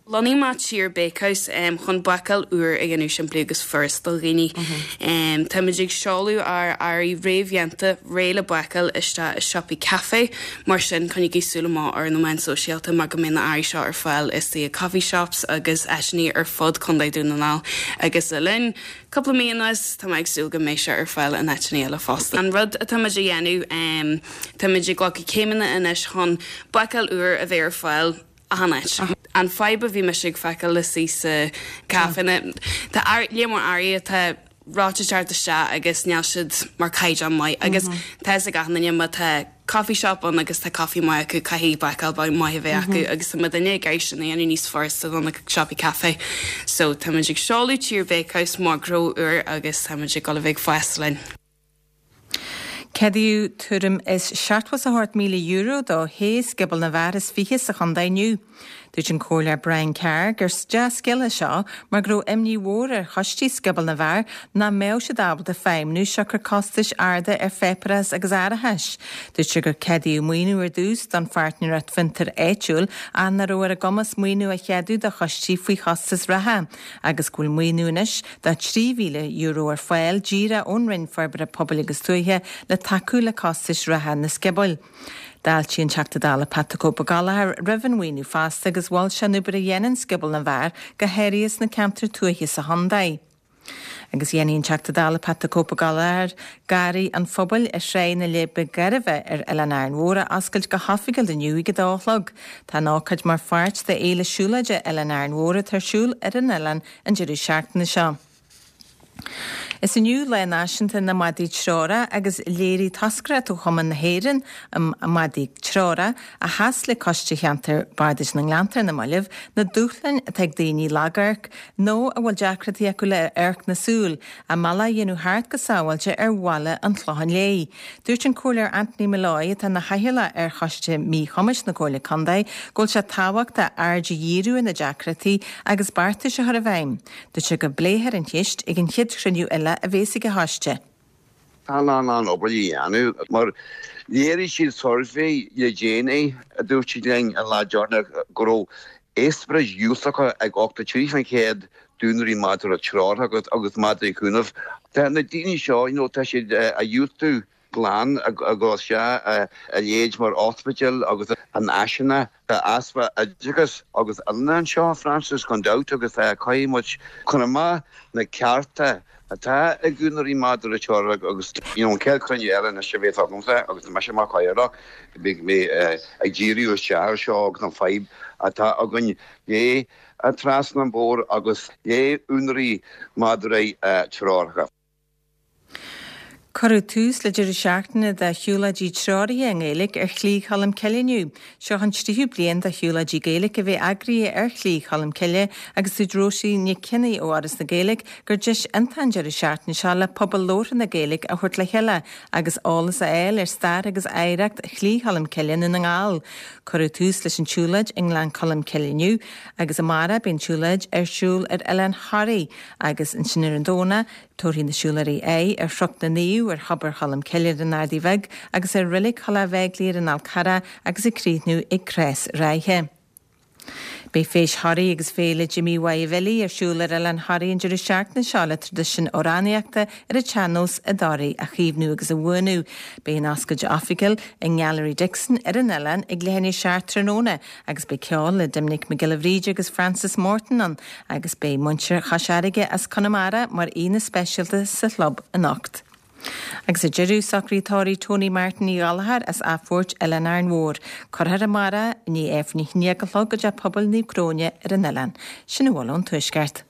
Lonnaigh mé Tír Bakehouse um, chun bácáil úr a dhéanamh simplí agus furast do dhaoine. Um, Táimid ag seoladh ár earraí réamhdhéanta réidh le bácáil isteach i siopaí caife, mar sin coinnígí súil amach ar na meáin sóisialta mar go mbeidh na earraí seo ar fáil i coffee shops agus áiteanna ar fud Contae Dún na nGall. Agus le linn cúpla mí anuas tá mé ag súil go mbeidh sé ar fáil in áiteanna eile fosta. An rud atáimid a dhéanamh um, táimid ag glacadh céimeanna anois chun bácáil úr a bheith ar fáil achan áit. An fadhb a bhí mise ag feiceáil le sí sa caiféanna Tá lear mór earraí atá reoite teacht isteach agus níl siad mar caighdeán maith agus tá ag achan duine má tá coffee shop ann agus tá coffee maith acu caithfidh bácáil maith a bheith acu agus tá duine ag sin dhéanamh níos furasta do na siopaí caife. So táimid ag seoladh Tír Bakehouse mar gnó úr agus táimid ag dul a bheith fás linn. Ceadaíodh tuairim is seachtó is a hocht míle euro do shé scioból na bhfear is fiche sa chontae inniu. Dúirt an Comhairleoir Brian Carr gur dea-scéal é seo mar go raibh imní mhór ar choistí scioból na bhfear nach mbeadh siad ábalta feidhmiú siocair costais arda ar pháipéarachas agus árachais. Dúirt sé gur ceadaíodh maoiniú ar dtús don pháirtnéireacht fiontair áitiúil ach nach raibh ar a gcumas maoiniú a cheadú do choistí faoi chostas reatha, agus go bhfuil maoiniú anois de trí mhíle euro ar fáil díreach ón Roinn Forbartha Pobail agus Tuaithe le tacú le costais reatha na scioból. D'fháiltigh an Teachta Dála Pat the Cope Gallagher roimh an mhaoiniú fosta agus mhol sé an obair a dhéanann Scioból na bhFear go háirithe sna ceantair tuaithe sa chontae. Agus dhéanfaidh an Teachta Dála Pat the Cope Gallagher Garraí an Phobail ar Thráigh na Leidhbe Gairbhe ar Oileán Árainn Mhór a oscailt go hoifigiúil inniu ag a dó a chlog. Tá an ócáid mar pháirt de Fhéile Siúlóide Oileán Árainn Mhór atá ar siúl ar an oileán an deireadh seachtaine seo. Is inniu Lá Náisiúnta na Madraí Treorach agus léirigh toscaireacht ó Chumann na hÉireann um Madraí Treorach a sheas le Coiste Cheantar Bardais na nGleannta ar na mallaibh na dúshláin atá ag daoine lagamhairc nó a bhfuil deacrachtaí acu le amharc na súl, a mbealach a dhéanamh thart go sábháilte ar bhaile an Chlocháin Léith. Dúirt an Comhairleoir Anthony Molloy atá ina chathaoirleach ar Choiste Míchumais na Comhairle Contae go bhfuil sé tábhachtach aird a dhíriú ar na deacrachtaí agus beartais a chur i bhfeidhm. Dúirt sé go bpléifear an cheist ag an chéad chruinniú eile a bheas ag an choiste. Tá an an obair a dhéanamh mar léirigh siad suirbhé le déanaí a dúirt siad linn an lá deireanach go raibh eispéiris dhiúltacha ag ochtó trí faoin chéad d'úinéirí madra treorach agus agus madraí cúnaimh. Tá na daoine seo you know, tá siad a dhiúltú glan a dhul isteach a leithéid mar ospidéal agus an áiseanna tá easpa oideachas agus oiliúna anseo Francis gan dabht agus caithfidh muid cur amach na cearta atá ag úinéirí madra treorach agus you know, an chéad chruinniú eile anois a bheidh agamsa agus tá mise mar chathaoirleach beidh mé ag díriú isteach air seo agus an fadhb atá againn le trasna an bord agus le úinéirí madraí treoracha. Cuireadh tús le deireadh seachtaine de shiúlóidí treoraithe i nGaeilge ar Shlí Cholm Cille inniu. Seo an tríú bliain de shiúlóidí Gaeilge a bheith eagraithe ar Shlí Cholm Cille agus dúirt Róisín Nic Cionnaith ó Fhoras na Gaeilge gur deis iontach an deireadh seachtaine seo le pobal labhartha na Gaeilge a thabhairt le chéile agus eolas a fháil ar stair agus oidhreacht Shlí Cholm Cille i nDún na nGall. Cuireadh tús leis an tsiúlóid i nGleann Cholm Cille inniu agus amárach beidh an tsiúlóid ar siúl ar Oileán Thoraí agus ansin ar an Domhnach tabharfaidh na siúlóirí aghaidh ar Chnoc na Naomh ar Thobar Cholm Cille ar an Ardaidh Bheag agus ar Reilig Thulach Bheaglaoí ar an Fhál Carrach agus ag críochnú ag Crois Ráithe. Beidh Feis Thoraí agus Féile Jimí Mhaighe Bhilí ar siúl ar Oileán Thoraí an deireadh seachtaine seo le traidisiún amhránaíochta ar an tsean-nós i dToraigh a chaomhnú agus a bhuanú. Beidh an oscailt oifigiúil i nGailearaí Dixon ar an oileán ag leathuair tar éis a seacht tráthnóna agus beidh ceol le Doimnic Mac Giolla Bhríde agus Francis Morton ann agus beidh muintir Chois Fharraige as Conamara mar aíonna speisialta sa chlub anocht. Agus ar deireadh socraí tórraimh Tony Martin Uí Ghallchóir as Athphoirt Oileán Árainn Mhór. Cuirfear amárach i ndiaidh Aifreann a haon déag a chlog i dTeach Pobail Naomh Cróine ar an oileán. Sin a bhfuil ón Tuaisceart.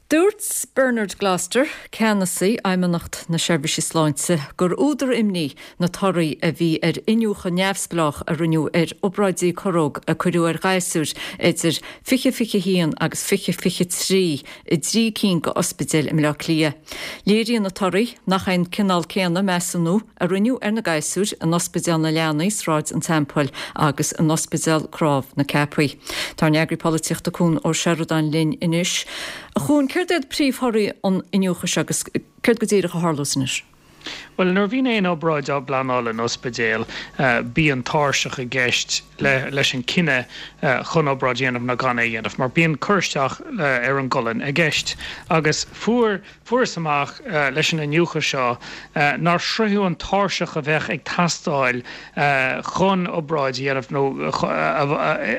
Dúirt Bernard Gloster, ceannasaí Fheidhmeannacht na Seirbhísí Sláinte, gur údar imní na torthaí a bhí ar iniúchadh neamhspleách a rinneadh ar obráidí corróg a cuireadh ar ghasúir idir fiche fiche haon agus fiche fiche trí i dtrí cinn d'ospidéil i mBleá Cliath. Léiríonn na torthaí nach é an cineál céanna measúnú a rinneadh ar na gasúir in Ospidéal na Leanaí, Sráid an Teampaill agus in Ospidéal Cnámh na Ceapaí. Tá ár n-eagraí polaitíochta Cuan Ó Seireadáin linn anois. A Chuain, céard iad príomhthorthaí an iniúchadh seo agus céard go díreach a tharlós anois? Bhuel, nuair a bhíonn aon obráid á bpleanáil in ospidéal, bíonn tairseach i gceist leis an cinneadh chun obráid a dhéanamh nó gan é a dhéanamh, mar bíonn cur isteach ar an gcolainn i gceist. Agus fuair fuarthas amach leis an iniúchadh seo nár sroicheadh an tairseach a bheadh ag teastáil chun obráid a dhéanamh nó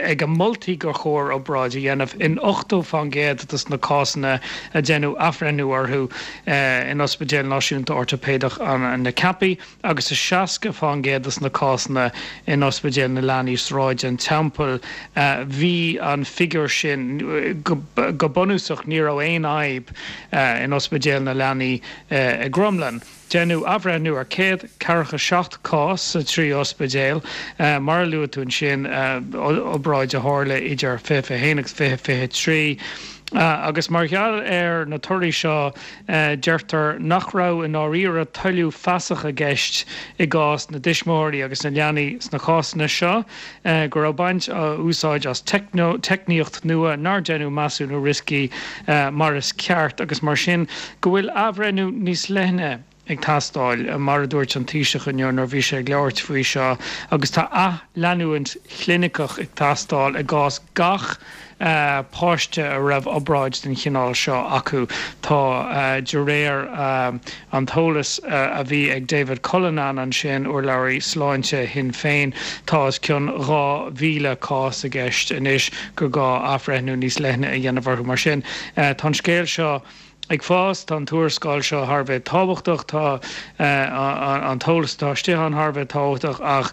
ag a moltaí gur chóir obráid a dhéanamh in ochtó fán gcéad de na cásanna a deineadh athbhreithniú orthu in Ospidéal Náisiúnta Ortaipéideach na Ceapaí agus i seasca fán gcéad de na cásanna in Ospidéal na Leanaí Sráid an Teampaill. Bhí an figiúr sin go bunúsach ní raibh aon fhadhb in Ospidéal na Leanaí i gCromghlinn. Deineadh athbhreithniú ar céad ceathracha seacht cás sa trí ospidéal, mar a luaigh tú ansin, obráid a tharla idir fiche fiche haon agus fiche fiche trí. Agus mar gheall ar na torthaí seo, deirtear nach raibh i ndáiríre toiliú feasach i gceist i gcás na dtuismitheoirí agus na leanaí sna cásanna seo, go raibh baint á úsáid as teicníocht nua nár deineadh measúnú rioscaí mar is ceart agus mar sin go bhfuil athbhreithniú níos leithne ag teastáil, mar a dúirt an Taoiseach inniu nuair a bhí sé ag labhairt faoi seo, agus tá athleanúint chliniceach ag teastáil i gcás gach páiste a raibh obráid den chineál seo acu. Tá, de réir an t-eolas a bhí ag David Cullinane ansin, urlabhraí sláinte Shinn Féin, tá os cionn dhá mhíle cás i gceist anois gur gá athbhreithniú níos leithne a dhéanamh orthu. Mar sin, tá an scéal seo ag fás, tá an tuarascáil seo thar a bheith tábhachtach, tá an t-eolas atá istigh ann thar a bheith tábhachtach ach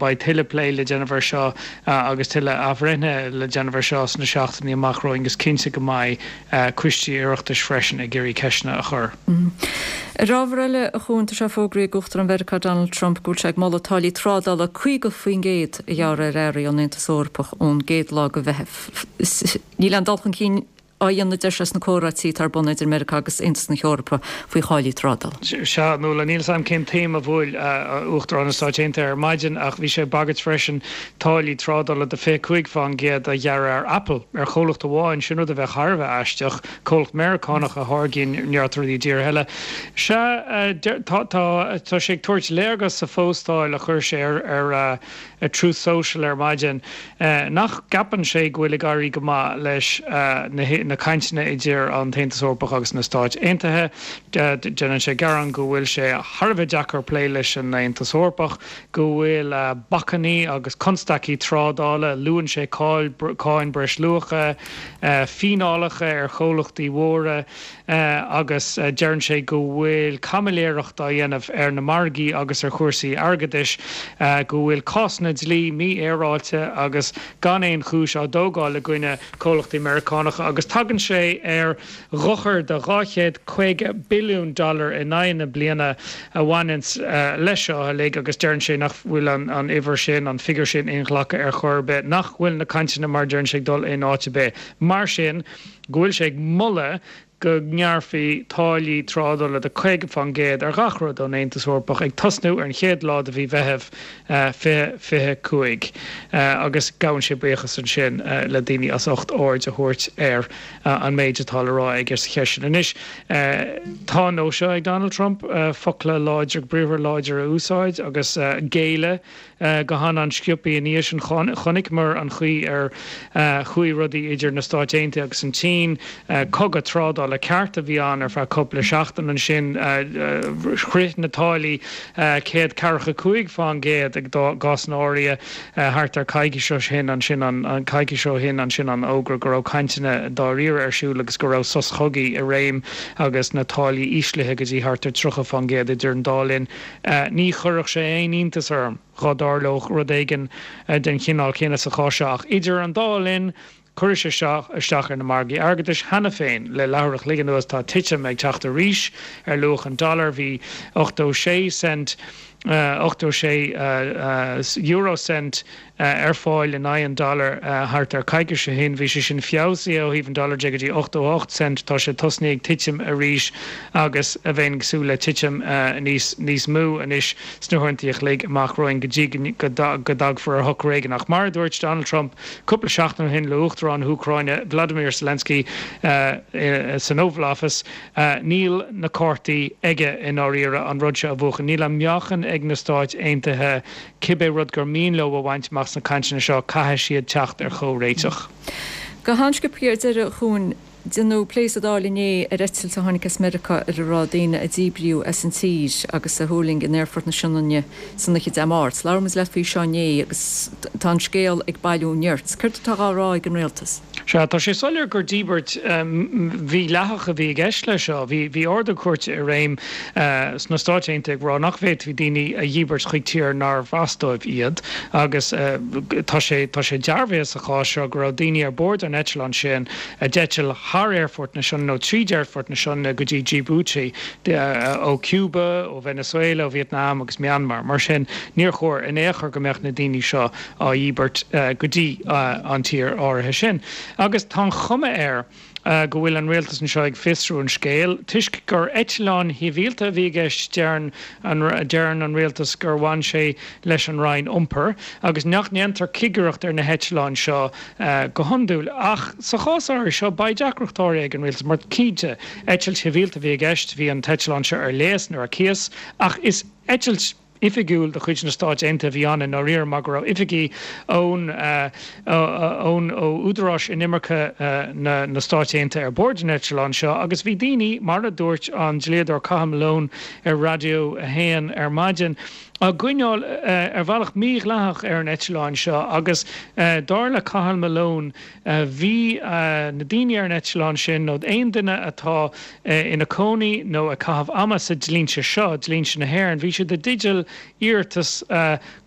beidh tuilleadh plé le déanamh air seo agus tuilleadh athbhreithnithe le déanamh air seo sna seachtainí amach romhainn agus cinnte go mbeidh coistí Oireachtais freisin ag iarraidh ceisteanna a chur. Ar ábhar eile, a Chuain, tá sé fógraithe ag Uachtarán Mheiriceá Donald Trump go bhfuil sé ag moladh táillí trádála caoga faoin gcéad a ghearradh ar earraí ón Aontas Eorpach ón gcéad lá de Mheitheamh. Níl aon dul chun cinn á dhéanamh, a deir sé, sna comhráití atá ar bun idir Meiriceá agus Aontas na hEorpa faoi tháillí trádála. Sea, Nuala, níl 's a'm cén taom a bhuail Uachtarán na Stáit Aontaithe ar maidin ach bhí sé ag bagairt freisin táillí trádála de fiche cúig fán gcéad a ghearradh ar Apple, ar chomhlacht amháin, sin rud a bheadh thar a bheith aisteach, comhlacht Meiriceánach a tháirgíonn neart rudaí i dtíortha eile. Sea, tá, tá, tá sé ag tabhairt léargas sa phóstáil a chuir sé ar, ar, ar Truth Social ar maidin nach gceapann sé go bhfuil ag éirí go maith leis na cainteanna idir an tAontas Eorpach agus na Stáit Aontaithe. Déanann sé gearán go bhfuil sé thar a bheith deacair plé leis an Aontas Eorpach, go bhfuil bacainní agus constaicí trádála, luann sé cáin breisluacha, fíneálacha ar chomhlachtaí mhóra, agus deireann sé go bhfuil caimiléireacht á dhéanamh ar na margaí agus ar chúrsaí airgeadais, go bhfuil cásanna dlí mífhéaráilte agus gan aon chúis á dtógáil i gcoinne comhlachtaí Meiriceánacha agus tagann sé ar dhochar de dhá chéad caoga billiún dollar in aghaidh na bliana a bhaineanns leis seo uilig agus deireann sé nach bhfuil an uimhir sin, an figiúr sin inghlactha ar chor ar bith, nach bhfuil na cainteanna mar a deireann sé ag dul in áit ar bith. Mar sin, go bhfuil sé ag moladh go ngearrfaí táillí trádála de caoga fán gcéad ar gach rud ón Aontas Eorpach ag tosnú ar an chéad lá de mhí Mheithimh fiche fiche cúig agus gabhann sé buíochas ansin le daoine as ucht aird a thabhairt ar an méid atá le rá aige sa cheist sin. Anois, tá an nós seo ag Donald Trump focla láidre, briathra láidre a úsáid agus géilleadh go han-an-sciobtha ina dhiaidh sin. Chonaiceamar an chaoi ar chuaigh rudaí idir na Stáit Aontaithe agus an tSín, cogadh trádála. slándála ceart a bhí ann ar feadh cúpla seachtain ansin shroich na táillí céad ceathracha cúig fán gcéad i gcásanna áirithe thart ar coicís ó shin ansin an coicís ó shin ansin an fhógra go raibh cainteanna dáiríre ar siúl agus go raibh sos cogaidh i réim agus na táillí íslithe go dtí thart ar tríocha fán gcéad idir an dá linn. Ní chuirfeadh sé aon iontas orm dhá dtarlódh rud éigin den chineál céanna sa chás seo ach idir an dá linn chuir sé seo isteach ar na margaí airgeadais cheana féin. Le leathuair a chloig anuas tá titim ag teacht arís ar luach an dollar bhí ochtó sé cent ochtó sé euro cent ar fáil in aghaidh an dollar thart ar coicís ó shin. Bhí sé sin feabhsaithe ó thaobh an dollar de go dtí ochtó ocht cent. Tá sé tosnaithe ag titim arís agus bheinn ag súil le titim níos níos mó anois sna huaireanta a chloig amach romhainn go dtí go dtagfar ar shocrú éigin. Ach mar a dúirt Donald Trump cúpla seachtain ó shin le Uachtarán na hÚcráine Vladimir Zelensky san Oval Office, níl na cártaí aige i ndáiríre an rud seo a bhuachan. Níl an meáchan ag na Stáit Aontaithe cibé rud gur mian leo a bhaint amach sna cainteanna seo, caithfidh siad teacht ar chomhréiteach. Go han-sciobtha ar deireadh, a Chuain, deineadh plé sa Dáil inné ar eitilt a tháinig as Meiriceá ar a raibh daoine a díbríodh as an tír agus a thuirling in Aerfort na Sionainne san oíche Dé Máirt. Labhair muid leat faoi seo inné agus tá an scéal ag bailiú nirt. Céard atá á rá ag an Rialtas? Sea, tá sé soiléir gur díbirt mhídhleathach a bhí i gceist leis seo. Bhí bhí ordú cúirte i réim sna Stáit Aontaithe ag rá nach bhféadfaí daoine a dhíbirt chuig tír nárbh as dóibh iad agus tá sé tá sé dearbhaithe sa chás seo go raibh daoine ar bord an eitleáin sin a d'eitil thar Aerfort na Sionainne nó tríd Aerfort na Sionainne go dtí Djibouti ó Cuba, ó Venezuela, ó Vietnam agus Myanmar. Mar sin, níor chóir in aon chor go mbeadh na daoine seo á dhíbirt go dtí an tír áirithe sin. Agus tá an chuma air go bhfuil an rialtas anseo ag fiosrú an scéil. Toisc gur eitleán shibhialta a bhí i gceist, deireann an deireann an rialtas gur bhain sé leis an Roinn Iompair agus nach ndéantar cigireacht ar na heitleáin seo go hiondúil. Ach sa chás áirithe seo, beidh deacracht áirithe ag an rialtas mar cinnte, eitilt shibhialta a bhí i gceist, bhí an t-eitleán seo ar léas nó ar cíos ach is eitilt oifigiúil de chuid na Stáit Aontaithe a bhí ann i ndáiríre mar go raibh oifigigh ón ón ó údaráis inimirce na na Stáit Aontaithe ar bord an eitleáin seo agus bhí daoine, mar a dúirt an dlíodóir Cathal Malone ar Raidió a hAon ar maidin, á gcoinneáil ar bhealach mídhleathach ar an eitleán seo agus dar le Cathal Malone bhí na daoine ar an eitleán sin nó aon duine atá ina cónaí nó ag caitheamh ama sa dlínse seo, dlínse na hÉireann, bhí siad i dteideal iarratas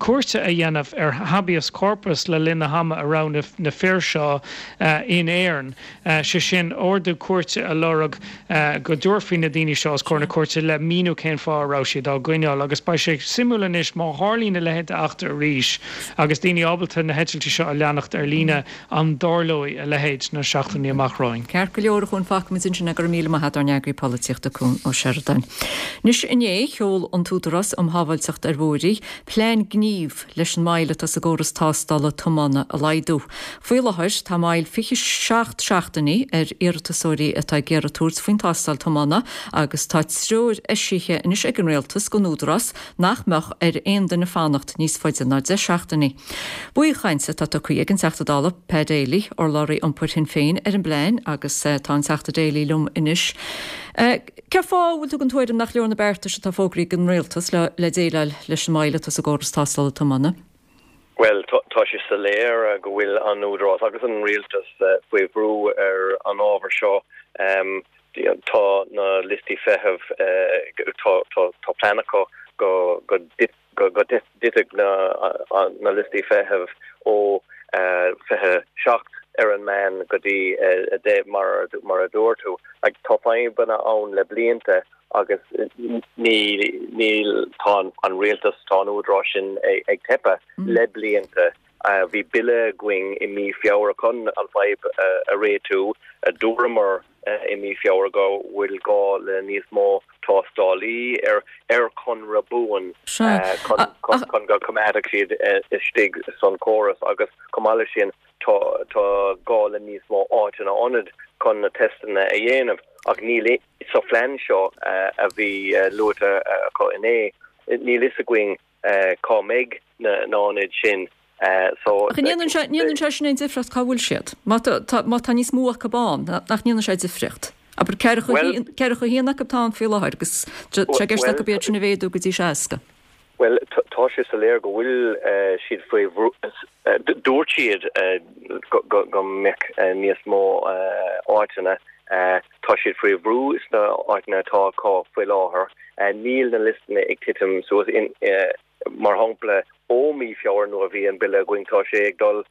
cúirte a dhéanamh ar habeas corpus le linn na hama a raibh na fir seo in Éirinn, sé sin ordú cúirte a lorg go dtabharfaí na daoine seo os comhair na cúirte le míniú cén fáth a raibh siad á gcoinneáil agus beidh sé suimiúil anois má tharlaíonn a leithéid d'eachtra arís agus daoine ábalta na heitiltí seo a leanacht ar líne an dtarlóidh a leithéid sna seachtainí amach romhainn. Ceart go leor, a Chuain, fágfaimid ansin é. Go raibh míle maith agat, ár n-eagraí polaitíochta Cuan Ó Seireadáin. Anois inné, sheol an tÚdarás um Shábháilteacht ar Bhóithre plean gnímh leis an moill atá sa gcóras tástála tiomána a laghdú. Faoi láthair tá moill fiche seacht seachtainí ar iarratasóirí atá ag iarraidh tabhairt faoin tástáil tiomána agus tá treoir eisithe anois ag an Rialtas don Údarás nach mbeadh ar aon duine fanacht níos faide ná deich seachtainí. Baothchaint atá tugtha ag an Teachta Dála Pa Daly, urlabhraí iompair Shinn Féin, ar an bplean agus tá an Teachta Daly liom anois. Cén fáth a bhfuil tú den tuairim nach leor na beartais atá fógraithe ag an Rialtas le déileáil leis an moill atá sa gcóras tástála tiomána? Bhuel, tá sé soiléir go bhfuil an Údarás agus an Rialtas faoi bhrú ar an ábhar seo. Tá na liostaí feithimh, tá plean acu go dtitfidh na liostaí feithimh ó fiche seacht ar an meán go dtí a deich mar a dúirt tú. Tá fadhbanna ann le blianta agus níl, tá an rialtas, tá an údarás sin ag teipeadh le blianta. Bhí bille againn i mí Feabhra chun an fadhb a réitiú. Dúramar i mí Feabhra go bhfuil gá le níos mó tástálaí ar ar chonradh buan chun go coimeádfadh siad istigh san córas agus chomh maith leis sin tá tá gá le níos mó áiteanna ionad chun na teisteanna a dhéanamh ach níl sa phlean seo a bhí luaite acu inné níl fhios againn cá mbeidh na hionaid sin so. Ach an ndéanann sé, ndéanann sé sin aon difríocht cá bhfuil siad? Má tá, má tá níos mó acu ann, nach ndéanann sé difríocht? Abair ceathracha a haon acu atá ann faoi láthair agus tá sé i gceist acu iad sin a mhéadú go dtí seasca. Bhuel, tá sé soiléir go bhfuil siad faoi bhrú. Dúirt siad go mbeadh níos mó áiteanna. Tá siad faoi bhrú sna áiteanna atá acu faoi láthair. Níl na liostanna ag titim suas. Mar shampla, ó mí Feabhra nuair a bhí an bille againn, tá sé ag dul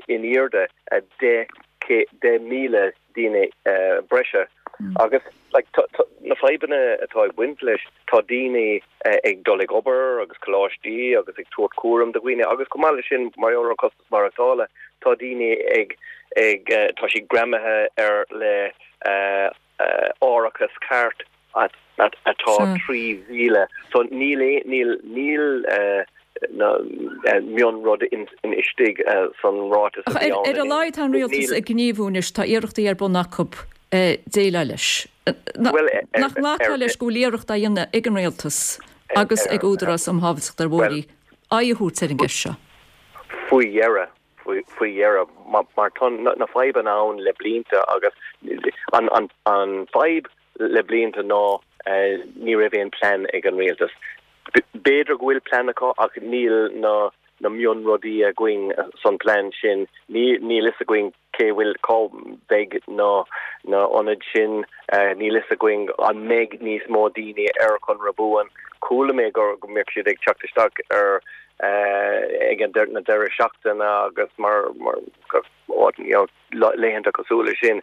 in airde deich míle daoine breise. Agus like na fadhbanna atá ag baint leis, tá daoine ag dul ag obair agus coláistí agus ag tabhairt cúram do dhaoine agus chomh maith leis sin mar gheall ar an costas maireachtála, tá daoine ag ag tá siad greamaithe ar le árachas cairt atá trí mhíle. So níl níl níl mionrud istigh san ráiteas a bhí ann. Ar a laghad tá an rialtas ag gníomhú anois, tá iarrachtaí ar bun acu déileáil leis. Nach nglacfá leis go bhfuil iarracht á dhéanamh ag an rialtas agus ag Údarás um Shábháilteacht ar Bhóithre aghaidh a thabhairt ar an gceist seo? Faoi dheireadh, faoi dheireadh, mar tá na fadhbanna ann le blianta agus an fadhb le blianta ná ní raibh aon plean ag an rialtas. B'fhéidir go bhfuil plean acu ach níl na na mionrudaí againn san plean sin. Níl fhios againn cé bhfuil cá mbeidh na na ionaid sin, níl fhios againn an mbeidh níos mó daoine ar chonradh buan. Chuala mé go go mbeadh siad ag teacht isteach ar ag an na deireadh seachtaine agus mar mar you know laethanta cosúil leis sin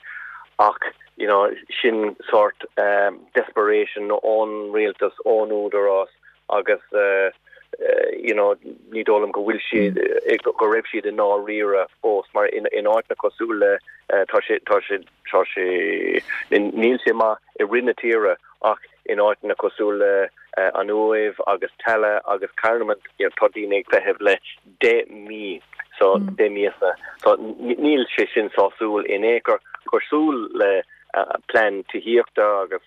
ach you know sin sort desperation ón rialtas, ón údarás agus you know ní dóigh liom go bhfuil siad go raibh siad i ndáiríre fós mar in in áiteanna cosúil le tá sé tá sé tá sé níl sé maith i rith na tíre ach in áiteanna cosúil le an Uaimh agus Tallaght agus Carnamont you know tá daoine ag feitheamh le deich mí so deich míosa so níl sé sin sásúil in aon chor cosúil le plean tithíochta agus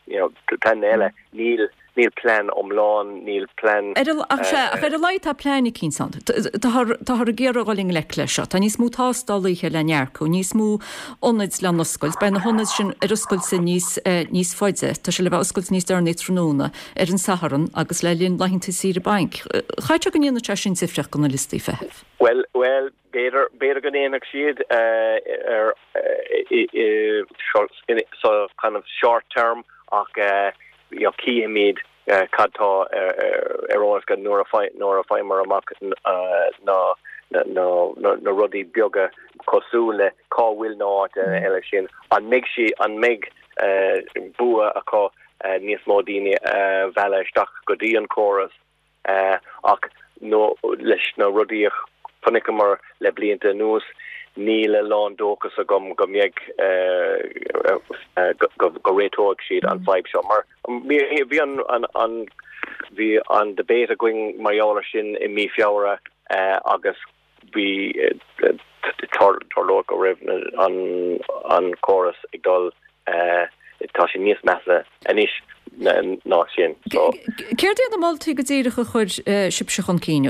you know plean eile níl níl plean iomlán níl plean. Ar ach sea ach ar a laghad tá plean eicínt ann. Táthar táthar ag iarraidh dul i ngleic leis seo. Tá níos mó tástálaithe le n-earcú, níos mó ionaid le n-oscailt. Beidh na hionaid sin ar oscailt níos níos faide. Tá sé le bheith oscailte níos deireanaí tráthnóna ar an Satharn agus le linn laethanta saoire bainc. Chaithfeadh sé go ndéanfadh sé sin difríocht do na liostaí feithimh. Bhuel bhuel b'fhéidir b'fhéidir go ndéanfadh siad ar sa kind of short term ach you know cífimid cad tá ar eolas go nuair a nuair a fhaigheamar amach na na na rudaí beaga cosúil le cá bhfuil na áiteanna eile sin an mbeidh sí an mbeidh bua acu níos mó daoine a mhealladh isteach go dtí an córas ach nó leis na rudaí a chonaiceamar le blianta anuas níl a lán dóchas agam go mbeidh go réiteoidh siad an fadhb seo mar bhí an an bhí an debate againn mar gheall air sin i mí Feabhra agus bhí tarlódh go raibh an an córas ag dul tá sé níos measa anois ná sin. Céard iad na moltaí go díreach a chuir sibhse chun cinn,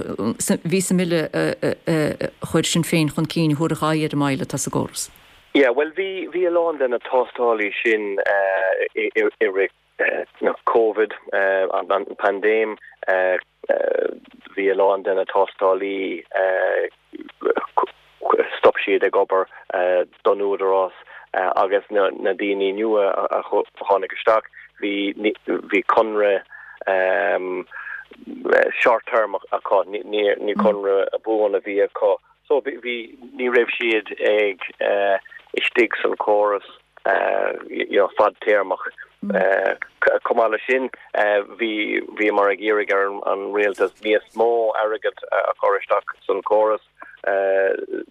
bhí sa mbille a chuir Sinn Féin chun cinn a thabharfadh aghaidh ar an moill atá sa gcóras? Yeah, bhuel bhí bhí a lán de na tástálaí sin i i rith na Covid, an paindéim, bhí a lán de na tástálaí stop siad ag obair don Údarás agus na na daoine nua a tháinig isteach bhí bhí conradh short term acu ní ní conradh buan a bhí acu so bhí ní raibh siad ag istigh san córas you know fadtéarmach. Chomh maith leis sin bhí bhíomar ag iarraidh ar an rialtas níos mó airgead a chur isteach san córas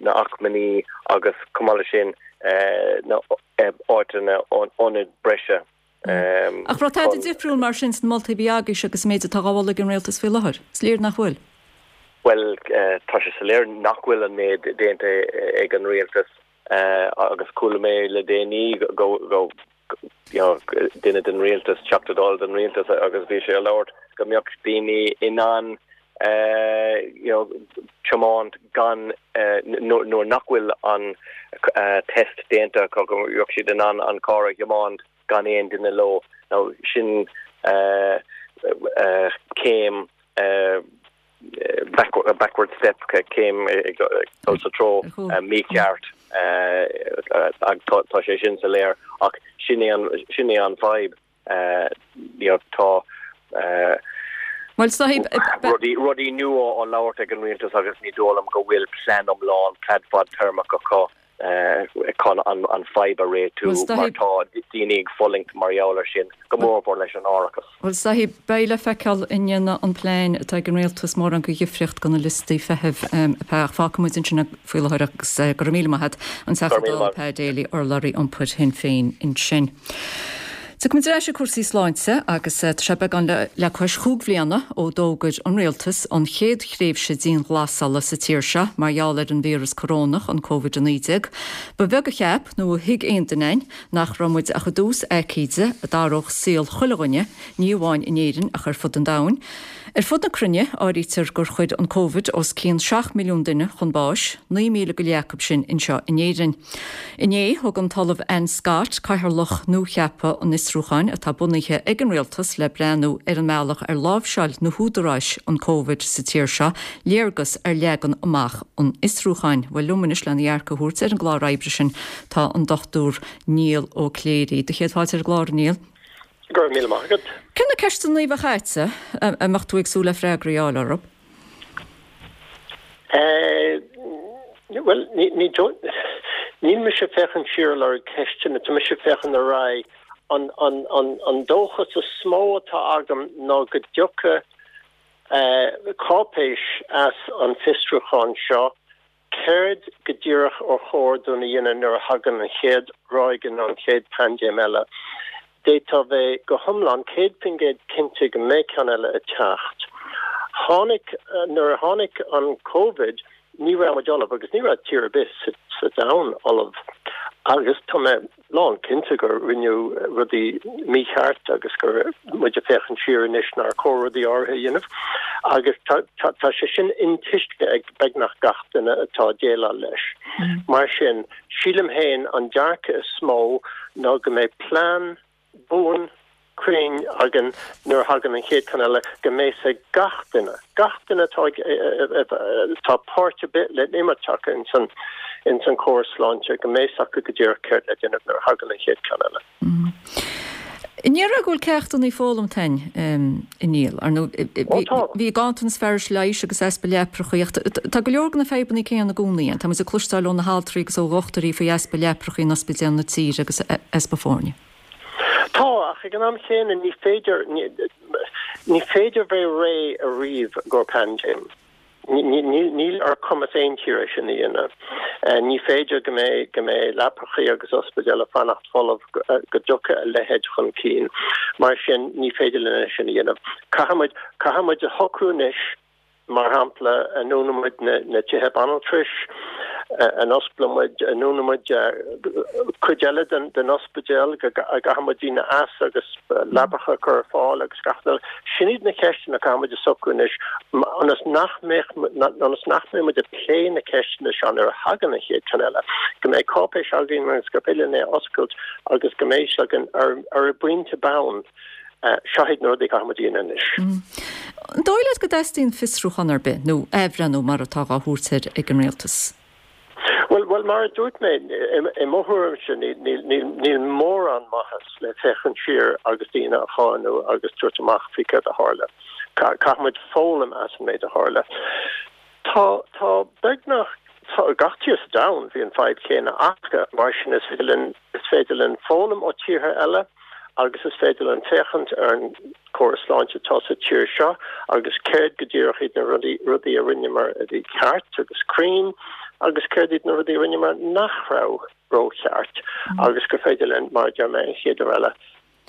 na acmhainní agus chomh maith leis sin na áiteanna ionaid breise. Ach raibh tada difriúil mar sin sna moltaí a bhí agaibhse agus an méid atá á mholadh ag an rialtas faoi láthair? Is léir nach bhfuil. Bhuel, tá sé soiléir nach bhfuil an méid déanta ag an rialtas agus chuala mé le déanaí go go you know duine den rialtas, Teachta Dála den rialtas agus bhí sé ag labhairt go mbeadh daoine in ann you know, tiomáint gan nuair nach bhfuil an test déanta acu, go mbeadh siad in ann an carr a thiomáint gan aon duine leo. Now sin céim backward step, céim ag dul sa treo mícheart, tá sé sin soiléir ach sin é an sin é an fadhb, you know, tá Bhuel, sahib, rudaí rudaí nua á labhairt ag an rialtas agus ní dóigh liom go bhfuil plean iomlán, plean fadtéarmach acu chun an an fadhb a réitiú mar tá daoine ag fulaingt mar gheall air sin, go mórmhór leis an árachas. Bhuel, sahib, beidh le feiceáil an ndéanfaidh an plean atá ag an rialtas mórán de dhifríocht do na liostaí feithimh a Fágfaidh muid ansin faoi láthair agus go raibh míle maith agat, an Teachta Dála Pa Daly, urlabhraí iompair Shinn Féin ansin. Tiocfaimid ar ais ag cúrsaí sláinte agus tá sé beagán le cois chúig bhliana ó d'fhógair an Rialtas an chéad thréimhse dianghlasála sa tír seo mar gheall ar an víreas corónach, an Covid a naoi déag. Ba bheag a cheap nó a thuig aon duine againn nach raibh muid ach i dtús aicíde a d'athródh saol chuile dhuine, ní amháin in Éirinn ach ar fud an domhain. Ar fud na cruinne, áirítear gur chuir an Covid os cionn seacht milliún duine chun báis, naoi míle go leith acu sin anseo in Éirinn. Inné, thug an tOllamh Anne Scott, cathaoirleach nuacheaptha an fhiosrúcháin atá bunaithe ag an Rialtas le breathnú ar an mbealach ar láimhseáil na húdaráis an Covid sa tír seo, léargas ar leagan amach an fhiosrúcháin. Bhuel, liom anois lena dhearcadh a thabhairt ar an gclár oibre sin tá an Dochtúir Niall Ó Cléirigh. Do chéad fáilte ar an gclár, a Niall. Go raibh míle maith agat. Cé na ceisteanna a bheadh agatsa a mbeadh tú ag súil le freagraí a fháil orthu? Bhuel, níl mise ag féachaint siar ag lorg ceisteanna, tá mise ag féachaint ar aghaidh. An dóchas is mó atá agam ná go dtiocfaidh cáipéis as an bhfiosrúchán seo Céard go díreach ar chóir dúinn a dhéanamh nuair a thagann an chéad ráig nó an chéad paindéim eile? D'fhéadfá a bheith go hiomlán céad faoin gcéad cinnte go mbeidh ceann eile ag teacht. Tháinig, nuair a tháinig an Covid, ní raibh muid ullamh agus ní raibh tír ar bith sa domhan ullamh agus tá mé lán cinnte gur rinneadh rudaí mícheart agus go bhfuil muid ag féachaint siar anois nár chóir rudaí áirithe a dhéanamh agus tá sé sin intuiscthe ag beagnach gach duine atá ag déileáil leis. Mar sin, sílim féin an dearcadh is mó ná go mbeidh plean buan, cruinn againn nuair a thagann an chéad cheann eile, go mbeidh 's ag gach duine, gach duine atá ag, atá páirt ar bith le n-imirt acu ins an, ins an córas sláinte, go mbeidh 's acu go díreach céard le déanamh nuair a thagann an chéad cheann eile. An ndéarfá go bhfuil ceachtanna foghlamtha againn, a Niall? Ar ndóigh, bhí ganntanas fearais leighis agus easpa leaprachaí, ach tá go leor de na fadhbanna céanna i gcónaí ann. Tá muid ag cloisteáil ó na haltraí agus ó dhochtúirí faoi easpa leaprachaí in ospidéil na tíre agus easpa foirne. Tá, ach ag an am chéanna ní féidir, ní féidir bheith réidh ariamh i gcomhair paindéim. Níl ar chumas aon tír é sin a dhéanamh. Ní féidir go mbeidh, go mbeidh leapachaí agus ospidéil ag fanacht folamh go dtiocfaidh a leithéid chun cinn. Mar sin, ní féidir linn é sin a dhéanamh. Caithfidh muid, caithfidh muid a shocrú anois, Mar shampla, an ndúnann muid na tithe banaltrais, an osclaíonn muid, an ndúnann muid cuid eile den ospidéal, go gcaithfidh muid daoine as agus leapacha a chur ar fáil agus gach rud eile. Sin iad na ceisteanna a caithfidh muid a socrú anois ionas nach mbeadh, ionas nach mbeidh muid ag plé na ceisteanna seo nuair a thagann an chéad cheann eile, go mbeidh cáipéis againn agus gur féidir linn é a oscailt agus go mbeidh 's againn ar an bpointe bonn Seo iad na rudaí a caithfidh muid a dhéanamh anois. An dóigh leat go dteastaíonn fiosrúchán ar bith, nó athbhreithniú mar atá dhá thabhairt air ag an Rialtas? Bhuel, bhuel, mar a dúirt mé, i mo thuairimse, níl mórán maitheas le féachaint siar agus daoine a cháineadh agus tabhairt amach faoi céard a tharla. Caithfidh muid foghlaim as an méid a tharla. Tá, tá beagnach, tá, gach tír sa domhan, bhí an fadhb chéanna acu, mar sin is féidir linn, is féidir linn foghlaim ó tíortha eile agus is féidir linn féachaint ar an córas sláinte atá sa tír seo agus céard go díreach iad na rudaí, rudaí a rinneamar a bhí ceart agus cruinn agus céard iad na rudaí a rinneamar nach raibh rócheart agus gur féidir linn, mar a deir mé, an chéad uair eile,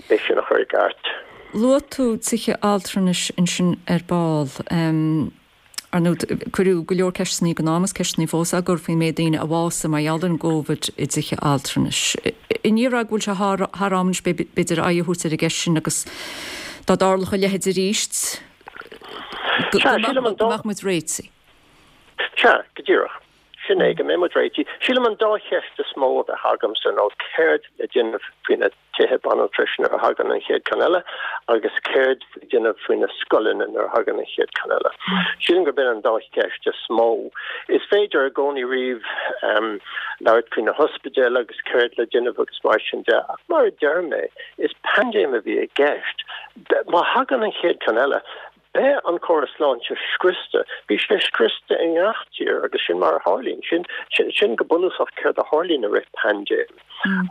é sin a chur i gceart. Luaigh tú tithe altranais ansin ar ball. Ar ndóigh, cuireadh go leor ceisteanna ag an am agus ceisteanna fós á gcur faoin méid daoine a bhásaigh mar gheall ar an gCóivid i dtithe altranais. An ndéarfá go bhfuil sé thar am anois b'fhéidir aghaidh a thabhairt ar an gceist sin agus dá dtarlódh a leithéid arís, Go mbeadh muid réitithe. Sea, go díreach. Sin é, go mbeidh muid réitithe. Sílim an dá cheist is mó a bheadh agamsa ná céard le déanamh faoi na tithe banaltrais nuair a thagann an chéad ceann eile agus céard le déanamh faoi na scoileanna nuair a thagann an chéad ceann eile. Sílim gurb in an dá cheist is mó. Is féidir i gcónaí riamh labhairt faoi na hospidéil agus céard le déanamh agus mar sin de ach mar a deir mé, is paindéim a bhí i gceist. Má thagann an chéad ceann eile, Beidh an córas sláinte scriosta. Bhí sé scriosta i ngach tír agus sin mar a tharlaíonn. Sin, sin go bunúsach céard a tharlaíonn i rith paindéim.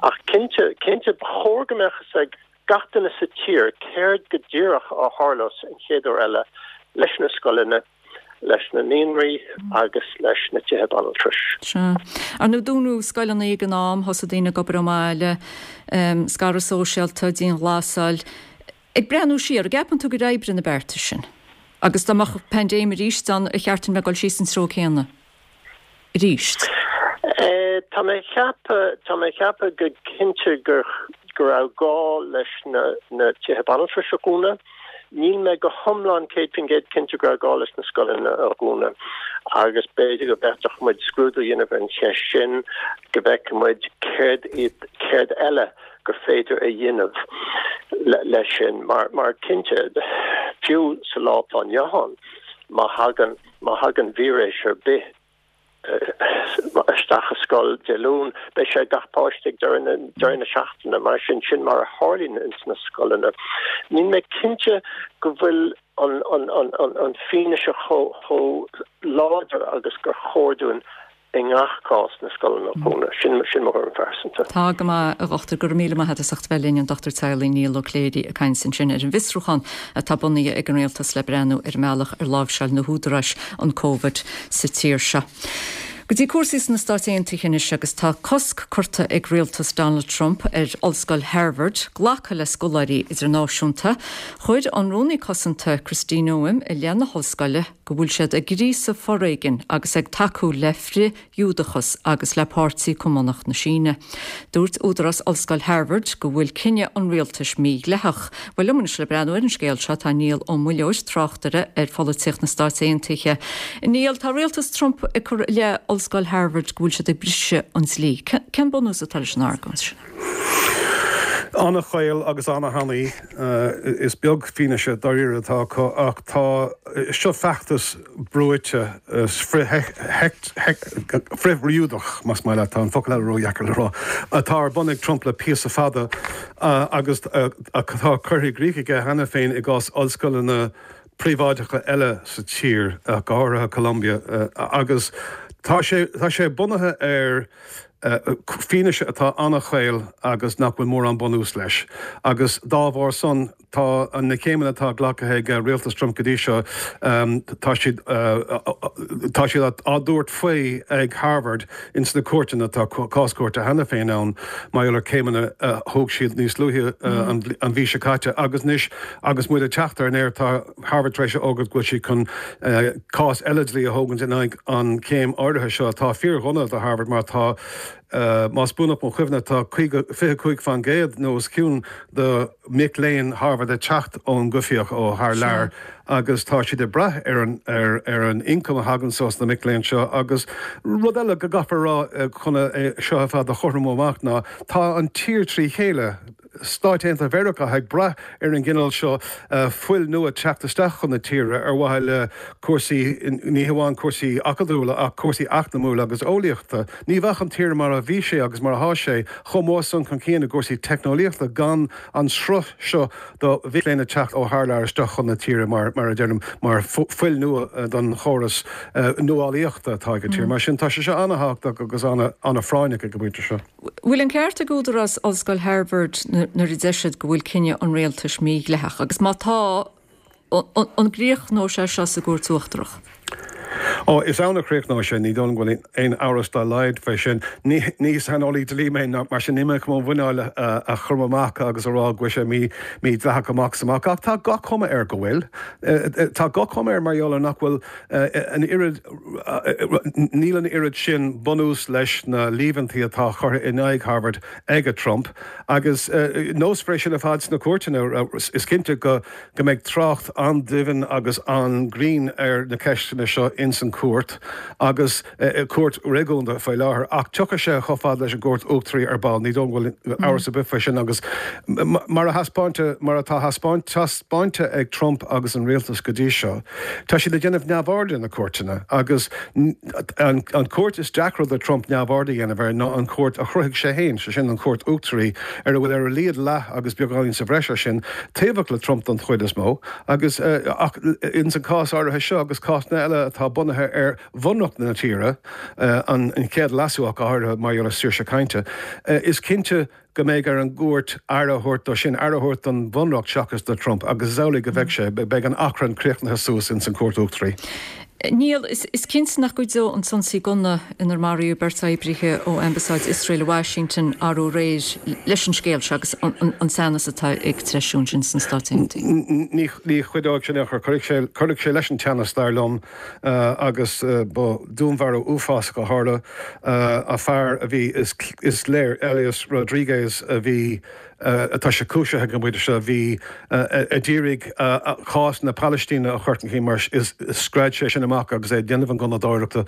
Ach cinnte, cinnte ba chóir go mbeadh fhios ag gach duine sa tír céard go díreach a tharlós an chéad uair eile leis na scoileanna, leis na naíonraí agus leis na tithe banaltrais. Sea. Ar ndóigh dúnadh scoileanna ag an am, thosaigh daoine ag obair ón mbaile, scaradh sóisialta, dianghlasáil. Ag breathnú siar, an gceapann tú gur oibrigh na bearta sin? Agus dá mbeadh paindéim arís ann, ar cheart dúinn bheith ag dul síos an treo céanna arís? Tá mé ag ceapadh, tá mé ag ceapadh go cinnte gur, go raibh gá leis na, na tithe banaltrais a dhúnadh. Níl mé go hiomlán céad faoin gcéad cinnte go raibh gá leis na scoileanna a dhúnadh agus b'fhéidir go bhféadfadh muid scrúdú a dhéanamh ar an cheist sin, go bhfeicfidh muid céard iad, céard eile gur féidir a dhéanamh leis sin mar, mar cinnte, fiú sa lá atá inniu ann, má thagann, má thagann víreas ar bith isteach i scoil Dé Luain, beidh sé ag gach páiste ag deireadh na, deireadh na seachtaine, mar sin, sin mar a tharlaíonn ins na scoileanna. Níl mé cinnte go bhfuil an, an, an, an, an fianaise chomh, chomh láidir agus gur chóir dúinn i ngach cás na scoileanna a dhúnadh. Sin sin mo thuairim phearsanta. Tá go maith, a Dhochtúir. Go raibh míle maith agat as ucht a bheith linn, an Dochtúir Teaghlaigh Niall Ó Cléirigh ag caint ansin ar an bhfiosrúchán atá bunaithe ag an Rialtas le breathnú ar an mbealach ar láimhseáil na húdaráis an Covid sa tír seo. Go dtí cúrsaí sna Stáit Aontaithe anois agus tá cosc curtha ag rialtas Donald Trump ar Ollscoil Harvard glacadh le scoláirí idirnáisiúnta. Chuir an Rúnaí Cosanta Kristi Noem i leith na hollscoile go bhfuil siad ag gríosadh foréigin agus ag tacú le frith-Ghiúdachas agus le Páirtí Cumannach na Síne. Dúirt údarás Ollscoil Harvard go bhfuil cinneadh an rialtais mídhleathach. Bhuel, liom anois le breathnú ar an scéal seo tá Niall Ó Muilleoir, tráchtaire ar pholaitíocht na Stáit Aontaithe. Niall, tá rialtas Trump ag cur i leith Ollscoil Harvard go bhfuil siad ag briseadh an dlí. Cén bunús atá leis an argóint sin? An-chaol agus an-thanaí. Is beag fianaise dáiríre atá acu ach tá seo feachtas brúite frith-Ghiúdach, más maith leat, tá an focal eile ródheacair le rá, atá ar bun ag Trump le píosa fada agus atá curtha i gcrích aige cheana féin i gcás ollscoileanna príobháideacha eile sa tír, go háirithe Columbia, agus tá sé tá sé bunaithe ar fianaise atá an-chaol agus nach bhfuil mórán bunús leis. Agus dá bharr san, tá na céimeanna atá glactha ag rialtas Trump go dtí seo, tá siad tá siad á dtabhairt faoi ag Harvard ins na cúirteanna, tá cás cúirte cheana féin ann mar gheall ar céimeanna a thóg siad níos luaithe an mhí seo caite. Agus anois agus muid ag teacht ar an aer, tá Harvard tar éis a fhógairt go bhfuil siad chun cás eile dlí a thógaint in aghaidh an chéim áirithe seo atá fíordhona do Harvard mar tá, más buanach mo chuimhne, tá fiche cúig faoin gcéad nó os cionn de mhic léinn Harvard ag teacht ón gcoimhthíoch ó thar lear agus tá siad ag brath ar an ar ar an ioncam a thagann ós na mic léinn seo agus rud eile go gcaithfear a rá chun é seo ar fad a chothromú amach ná tá an tír trí chéile Stáit Aontaithe Mheiriceá ag brath ar an gcineál seo fuil nua teacht isteach chun na tíre ar mhaithe le cúrsaí, ní hamháin cúrsaí acadúla ach cúrsaí eacnamúla agus eolaíochta. Ní bheadh an tír mar a bhí sé agus mar atá sé chomh mór san chun cinn i gcúrsaí teicneolaíochta gan an sruth seo do mhic léinn ag teacht ó thar lear isteach chun na tíre mar, mar a deirim, mar fuil nua don chóras nuálaíochta atá ag an tír. Mar sin tá sé seo an-thábhachtach agus an-phráinneach ag an bpointe seo. Bhfuil an ceart ag údarás Ollscoil Harvard nuair a deir siad go bhfuil cinneadh an rialtais mídhleathach agus má tá, an gcríochnóidh sé seo sa gCúirt Uachtarach? Ó, is ann a chríochnóidh sé, ní dóigh liom go bhfuil aon amhras dá laghad fé sin. Ní ní saineolaí dlí mé, mar sin níl mé chun mo mhuineál a chur amach agus a rá go bhfuil sé mí mídhleathach amach is amach, ach tá gach cuma air go bhfuil. Tá gach cuma air mar gheall ar nach bhfuil an oiread, níl an oiread sin bunús leis na líomhaintí atá curtha in aghaidh Harvard ag Trump. Agus nós é sin ar fad sna cúirteanna, is cinnte go go mbeidh trácht an-doimhin agus an-ghrinn ar na ceisteanna seo ins an chúirt agus cúirt réigiúnda faoi láthair ach tiocfaidh sé chomh fada leis an gCúirt Uachtaraí ar ball, ní dóigh go bhfuil amhras ar bith faoi sin agus mar a thaispeáinte, mar atá taispeáinte ag Trump agus an rialtas go dtí seo, tá siad ag déanamh neamhaird de na cúirteanna agus an chúirt is deacra do Trump neamhaird a dhéanamh air ná an chúirt a chruthaigh sé féin, sé sin an Chúirt Uachtaraí ar a bhfuil ar a laghad leath agus beagáinín sa bhreis air sin, taobhach le Trump don chuid is mó agus ach ins an cás áirithe seo agus cásanna eile atá bunaithe ar bhunreacht na tíre, an chéad leasú ach go háirithe mar gheall ar saoirse cainte, is cinnte go mbeidh ar an gcúirt aire a thabhairt dó sin, aire a thabhairt don bhunreacht seachas do Trump agus is amhlaidh go bheidh sé, beidh an achrann críochnaithe suas ins an Chúirt Uachtaraí. Niall, is cinnte nach gcuideoidh an t-ionsaí gunna inar maraíodh beirt oibrithe ó Ambasáid Iosrael i Washington arú aréir leis an scéal seo agus an teannas atá ag treisiú ansin sna Stáit Aontaithe. Ní chuideoidh sin in aon chor. Cuirfidh sé leis an teannas, dar liom, agus ba dúnmharú uafásach a tharla. A fear a bhí, is léir, Elias Rodriguez a bhí, atá sé cúisithe ag an bpointe seo, bhí a d'iarraidh cás na Palaistíne a chur chun cinn mar is scread sé sin amach agus é ag déanamh an gunnadóireachta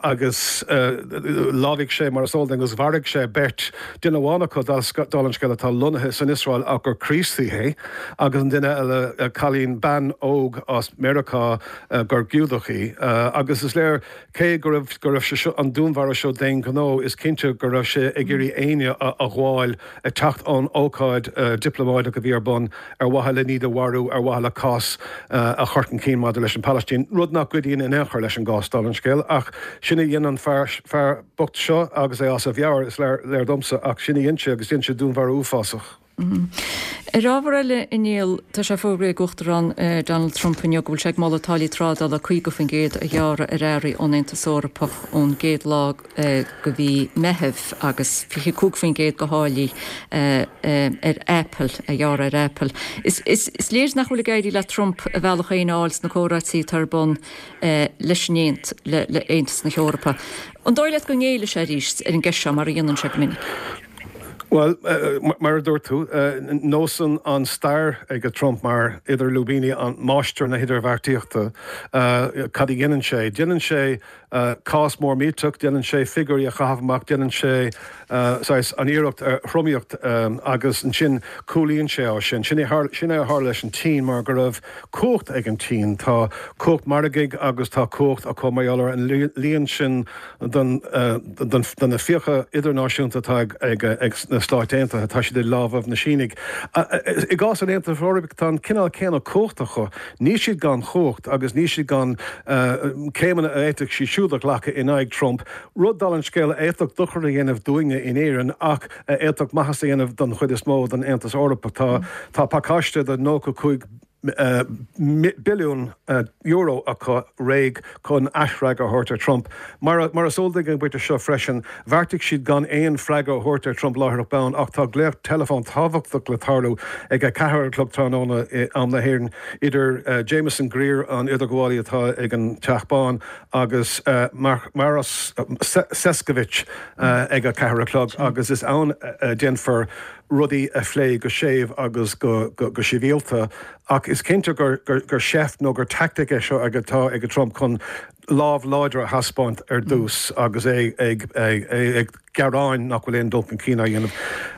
agus lámhaigh sé mar is eol dúinn agus mharaigh sé beirt, duine amháin acu dála an scéil atá lonnaithe san Iosrael ach gur Críostaí é agus an duine eile cailín, bean óg as Meiriceá gur Giúdach í agus is léir cé go raibh go raibh sé seo an dúnmharú seo d'aon ghnó is cinnte go raibh sé ag iarraidh éinne a ghabháil ag teacht ón ócáid dioplómáideach a bhí ar bun ar mhaithe le iad a mharú, ar mhaithe le cás a chur chun cinn maidir leis an Phalaistín, rud nach gcuidíonn in aon chor leis an gcás, dála an scéil. Ach sin a dhein an fear fear bocht seo agus é as a mheabhair, is léir domsa, ach sin a dhein sé agus dhein sé dúnmharú uafásach. Ar ábhar eile, a Niall, tá sé fógraithe ag Uachtarán Donald Trump inniu go bhfuil sé ag moladh táillí trádála caoga faoin gcéad a ghearradh ar earraí ón Aontas Eorpach ón gcéad lá de mhí Meitheamh agus fiche cúig faoin gcéad de tháillí ar Apple a ghearradh ar Apple. Is léir nach bhfuil ag éirí le Trump a bhealach féin a fháil sna comhráití atá ar bun leis an le Aontas na hEorpa. An dóigh leat go ngéillfidh sé arís ar an gceist seo mar a dhéanann sé go minic? Bhuel, mar a dúirt tú, nós an stair ag Trump mar idir lúibíní, an máistir na hidirbheartaíochta, cad a dhéanann sé? Déanann sé cás mór millteach, déanann sé figiúirí a chaitheamh amach, déanann sé saghas an iarracht ar thromaíocht agus ansin cúlaíonn sé ó sin. Sin é a tharla leis an tSín mar go raibh cumhacht ag an tSín. Tá cumhacht margaidh agus tá cumhacht acu mar gheall ar an líon sin de na fiacha idirnáisiúnta atá ag na Stáit Aontaithe, tá siad i lámhaibh na Sínigh. I gcás an Aontais Eorpaigh, tá an cineál céanna cumhachta acu. Níl siad gan chumhacht agus níl siad gan céimeanna a fhéadfadh siad siúd a ghlacadh in aghaidh Trump, rud, dála an scéil, a fhéadfadh dochar a dhéanamh dúinne in Éirinn ach a fhéadfadh maitheas a dhéanamh don chuid is mó den Aontas Eorpach. Tá pacáiste de nócha cúig billiún euro acu réidh chun aisfhreagra a thabhairt ar Trump. Mar is eol duinn ag an bpointe seo freisin, bheartaigh siad gan aon freagra a thabhairt ar Trump láithreach bonn ach tá glaoch teileafóin tábhachtach le tarlú ag a ceathair a chlog tráthnóna i am na hÉireann idir Jamieson Greer, an idirghabhálaí atá ag an Teach Bán, agus Maros Sefcovic ag a ceathair a chlog agus is ann a déanfar rudaí a phlé go séimh agus go sibhialta ach is cinnte gur seift nó gur teaictic é seo atá ag Trump chun lámh láidir a thaispeáint ar dtús agus é ag gearán nach bhfuil aon dul chun cinn á dhéanamh.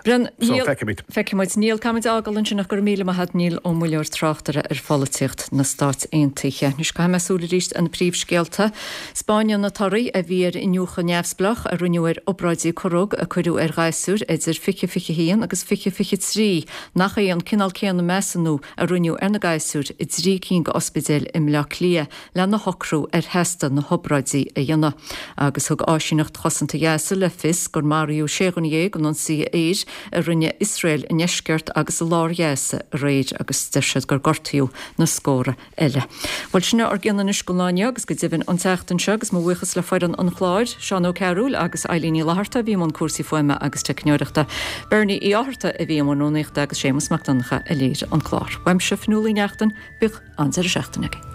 Bren, So, feicfimid. Feicfimid. Niall, caithfimid é a fhágáil ansin ach go raibh míle maith agat, Niall Ó Muilleoir, tráchtaire ar pholaitíocht na Stáit Aontaithe. Anois caithfidh mé súil arís ar na príomhscéalta. 'Spáineann na torthaí a bhí ar iniúchadh neamhspleách a rinneadh ar obráidí corróg a cuireadh ar ghasúir idir fiche fiche a haon agus fiche fiche trí nach é an cineál céanna measúnú a rinneadh ar na gasúir i dtrí cinn d'ospidéil i mBleá Cliath lena shocrú ar theastas sásta na hobráidí a dhéanamh. Agus thug Áisíneacht Chosanta Ghaza le fios gur maraíodh sé dhuine dhéag in ionsaithe aeir a rinne Iosrael i ndeisceart agus i lár Ghaza aréir agus deir siad gur gortaíodh na scórtha eile. Bhuel sin ár gcion anois don lá inniu agus go deimhin an tseachtain seo agus mo bhuíochas le foireann an chláir, Seán Ó Cearúil agus Eileen Ní Fhlatharta a bhí i mbun cúrsaí fuaime agus teicneoireachta, Bernie Uí Fhátharta a bhí i mbun rúnaíochta agus Séamus Mac Donncha a léirigh an clár. Uaimse Fionnuala Ní Neachtain, bíodh an-deireadh seachtaine agaibh.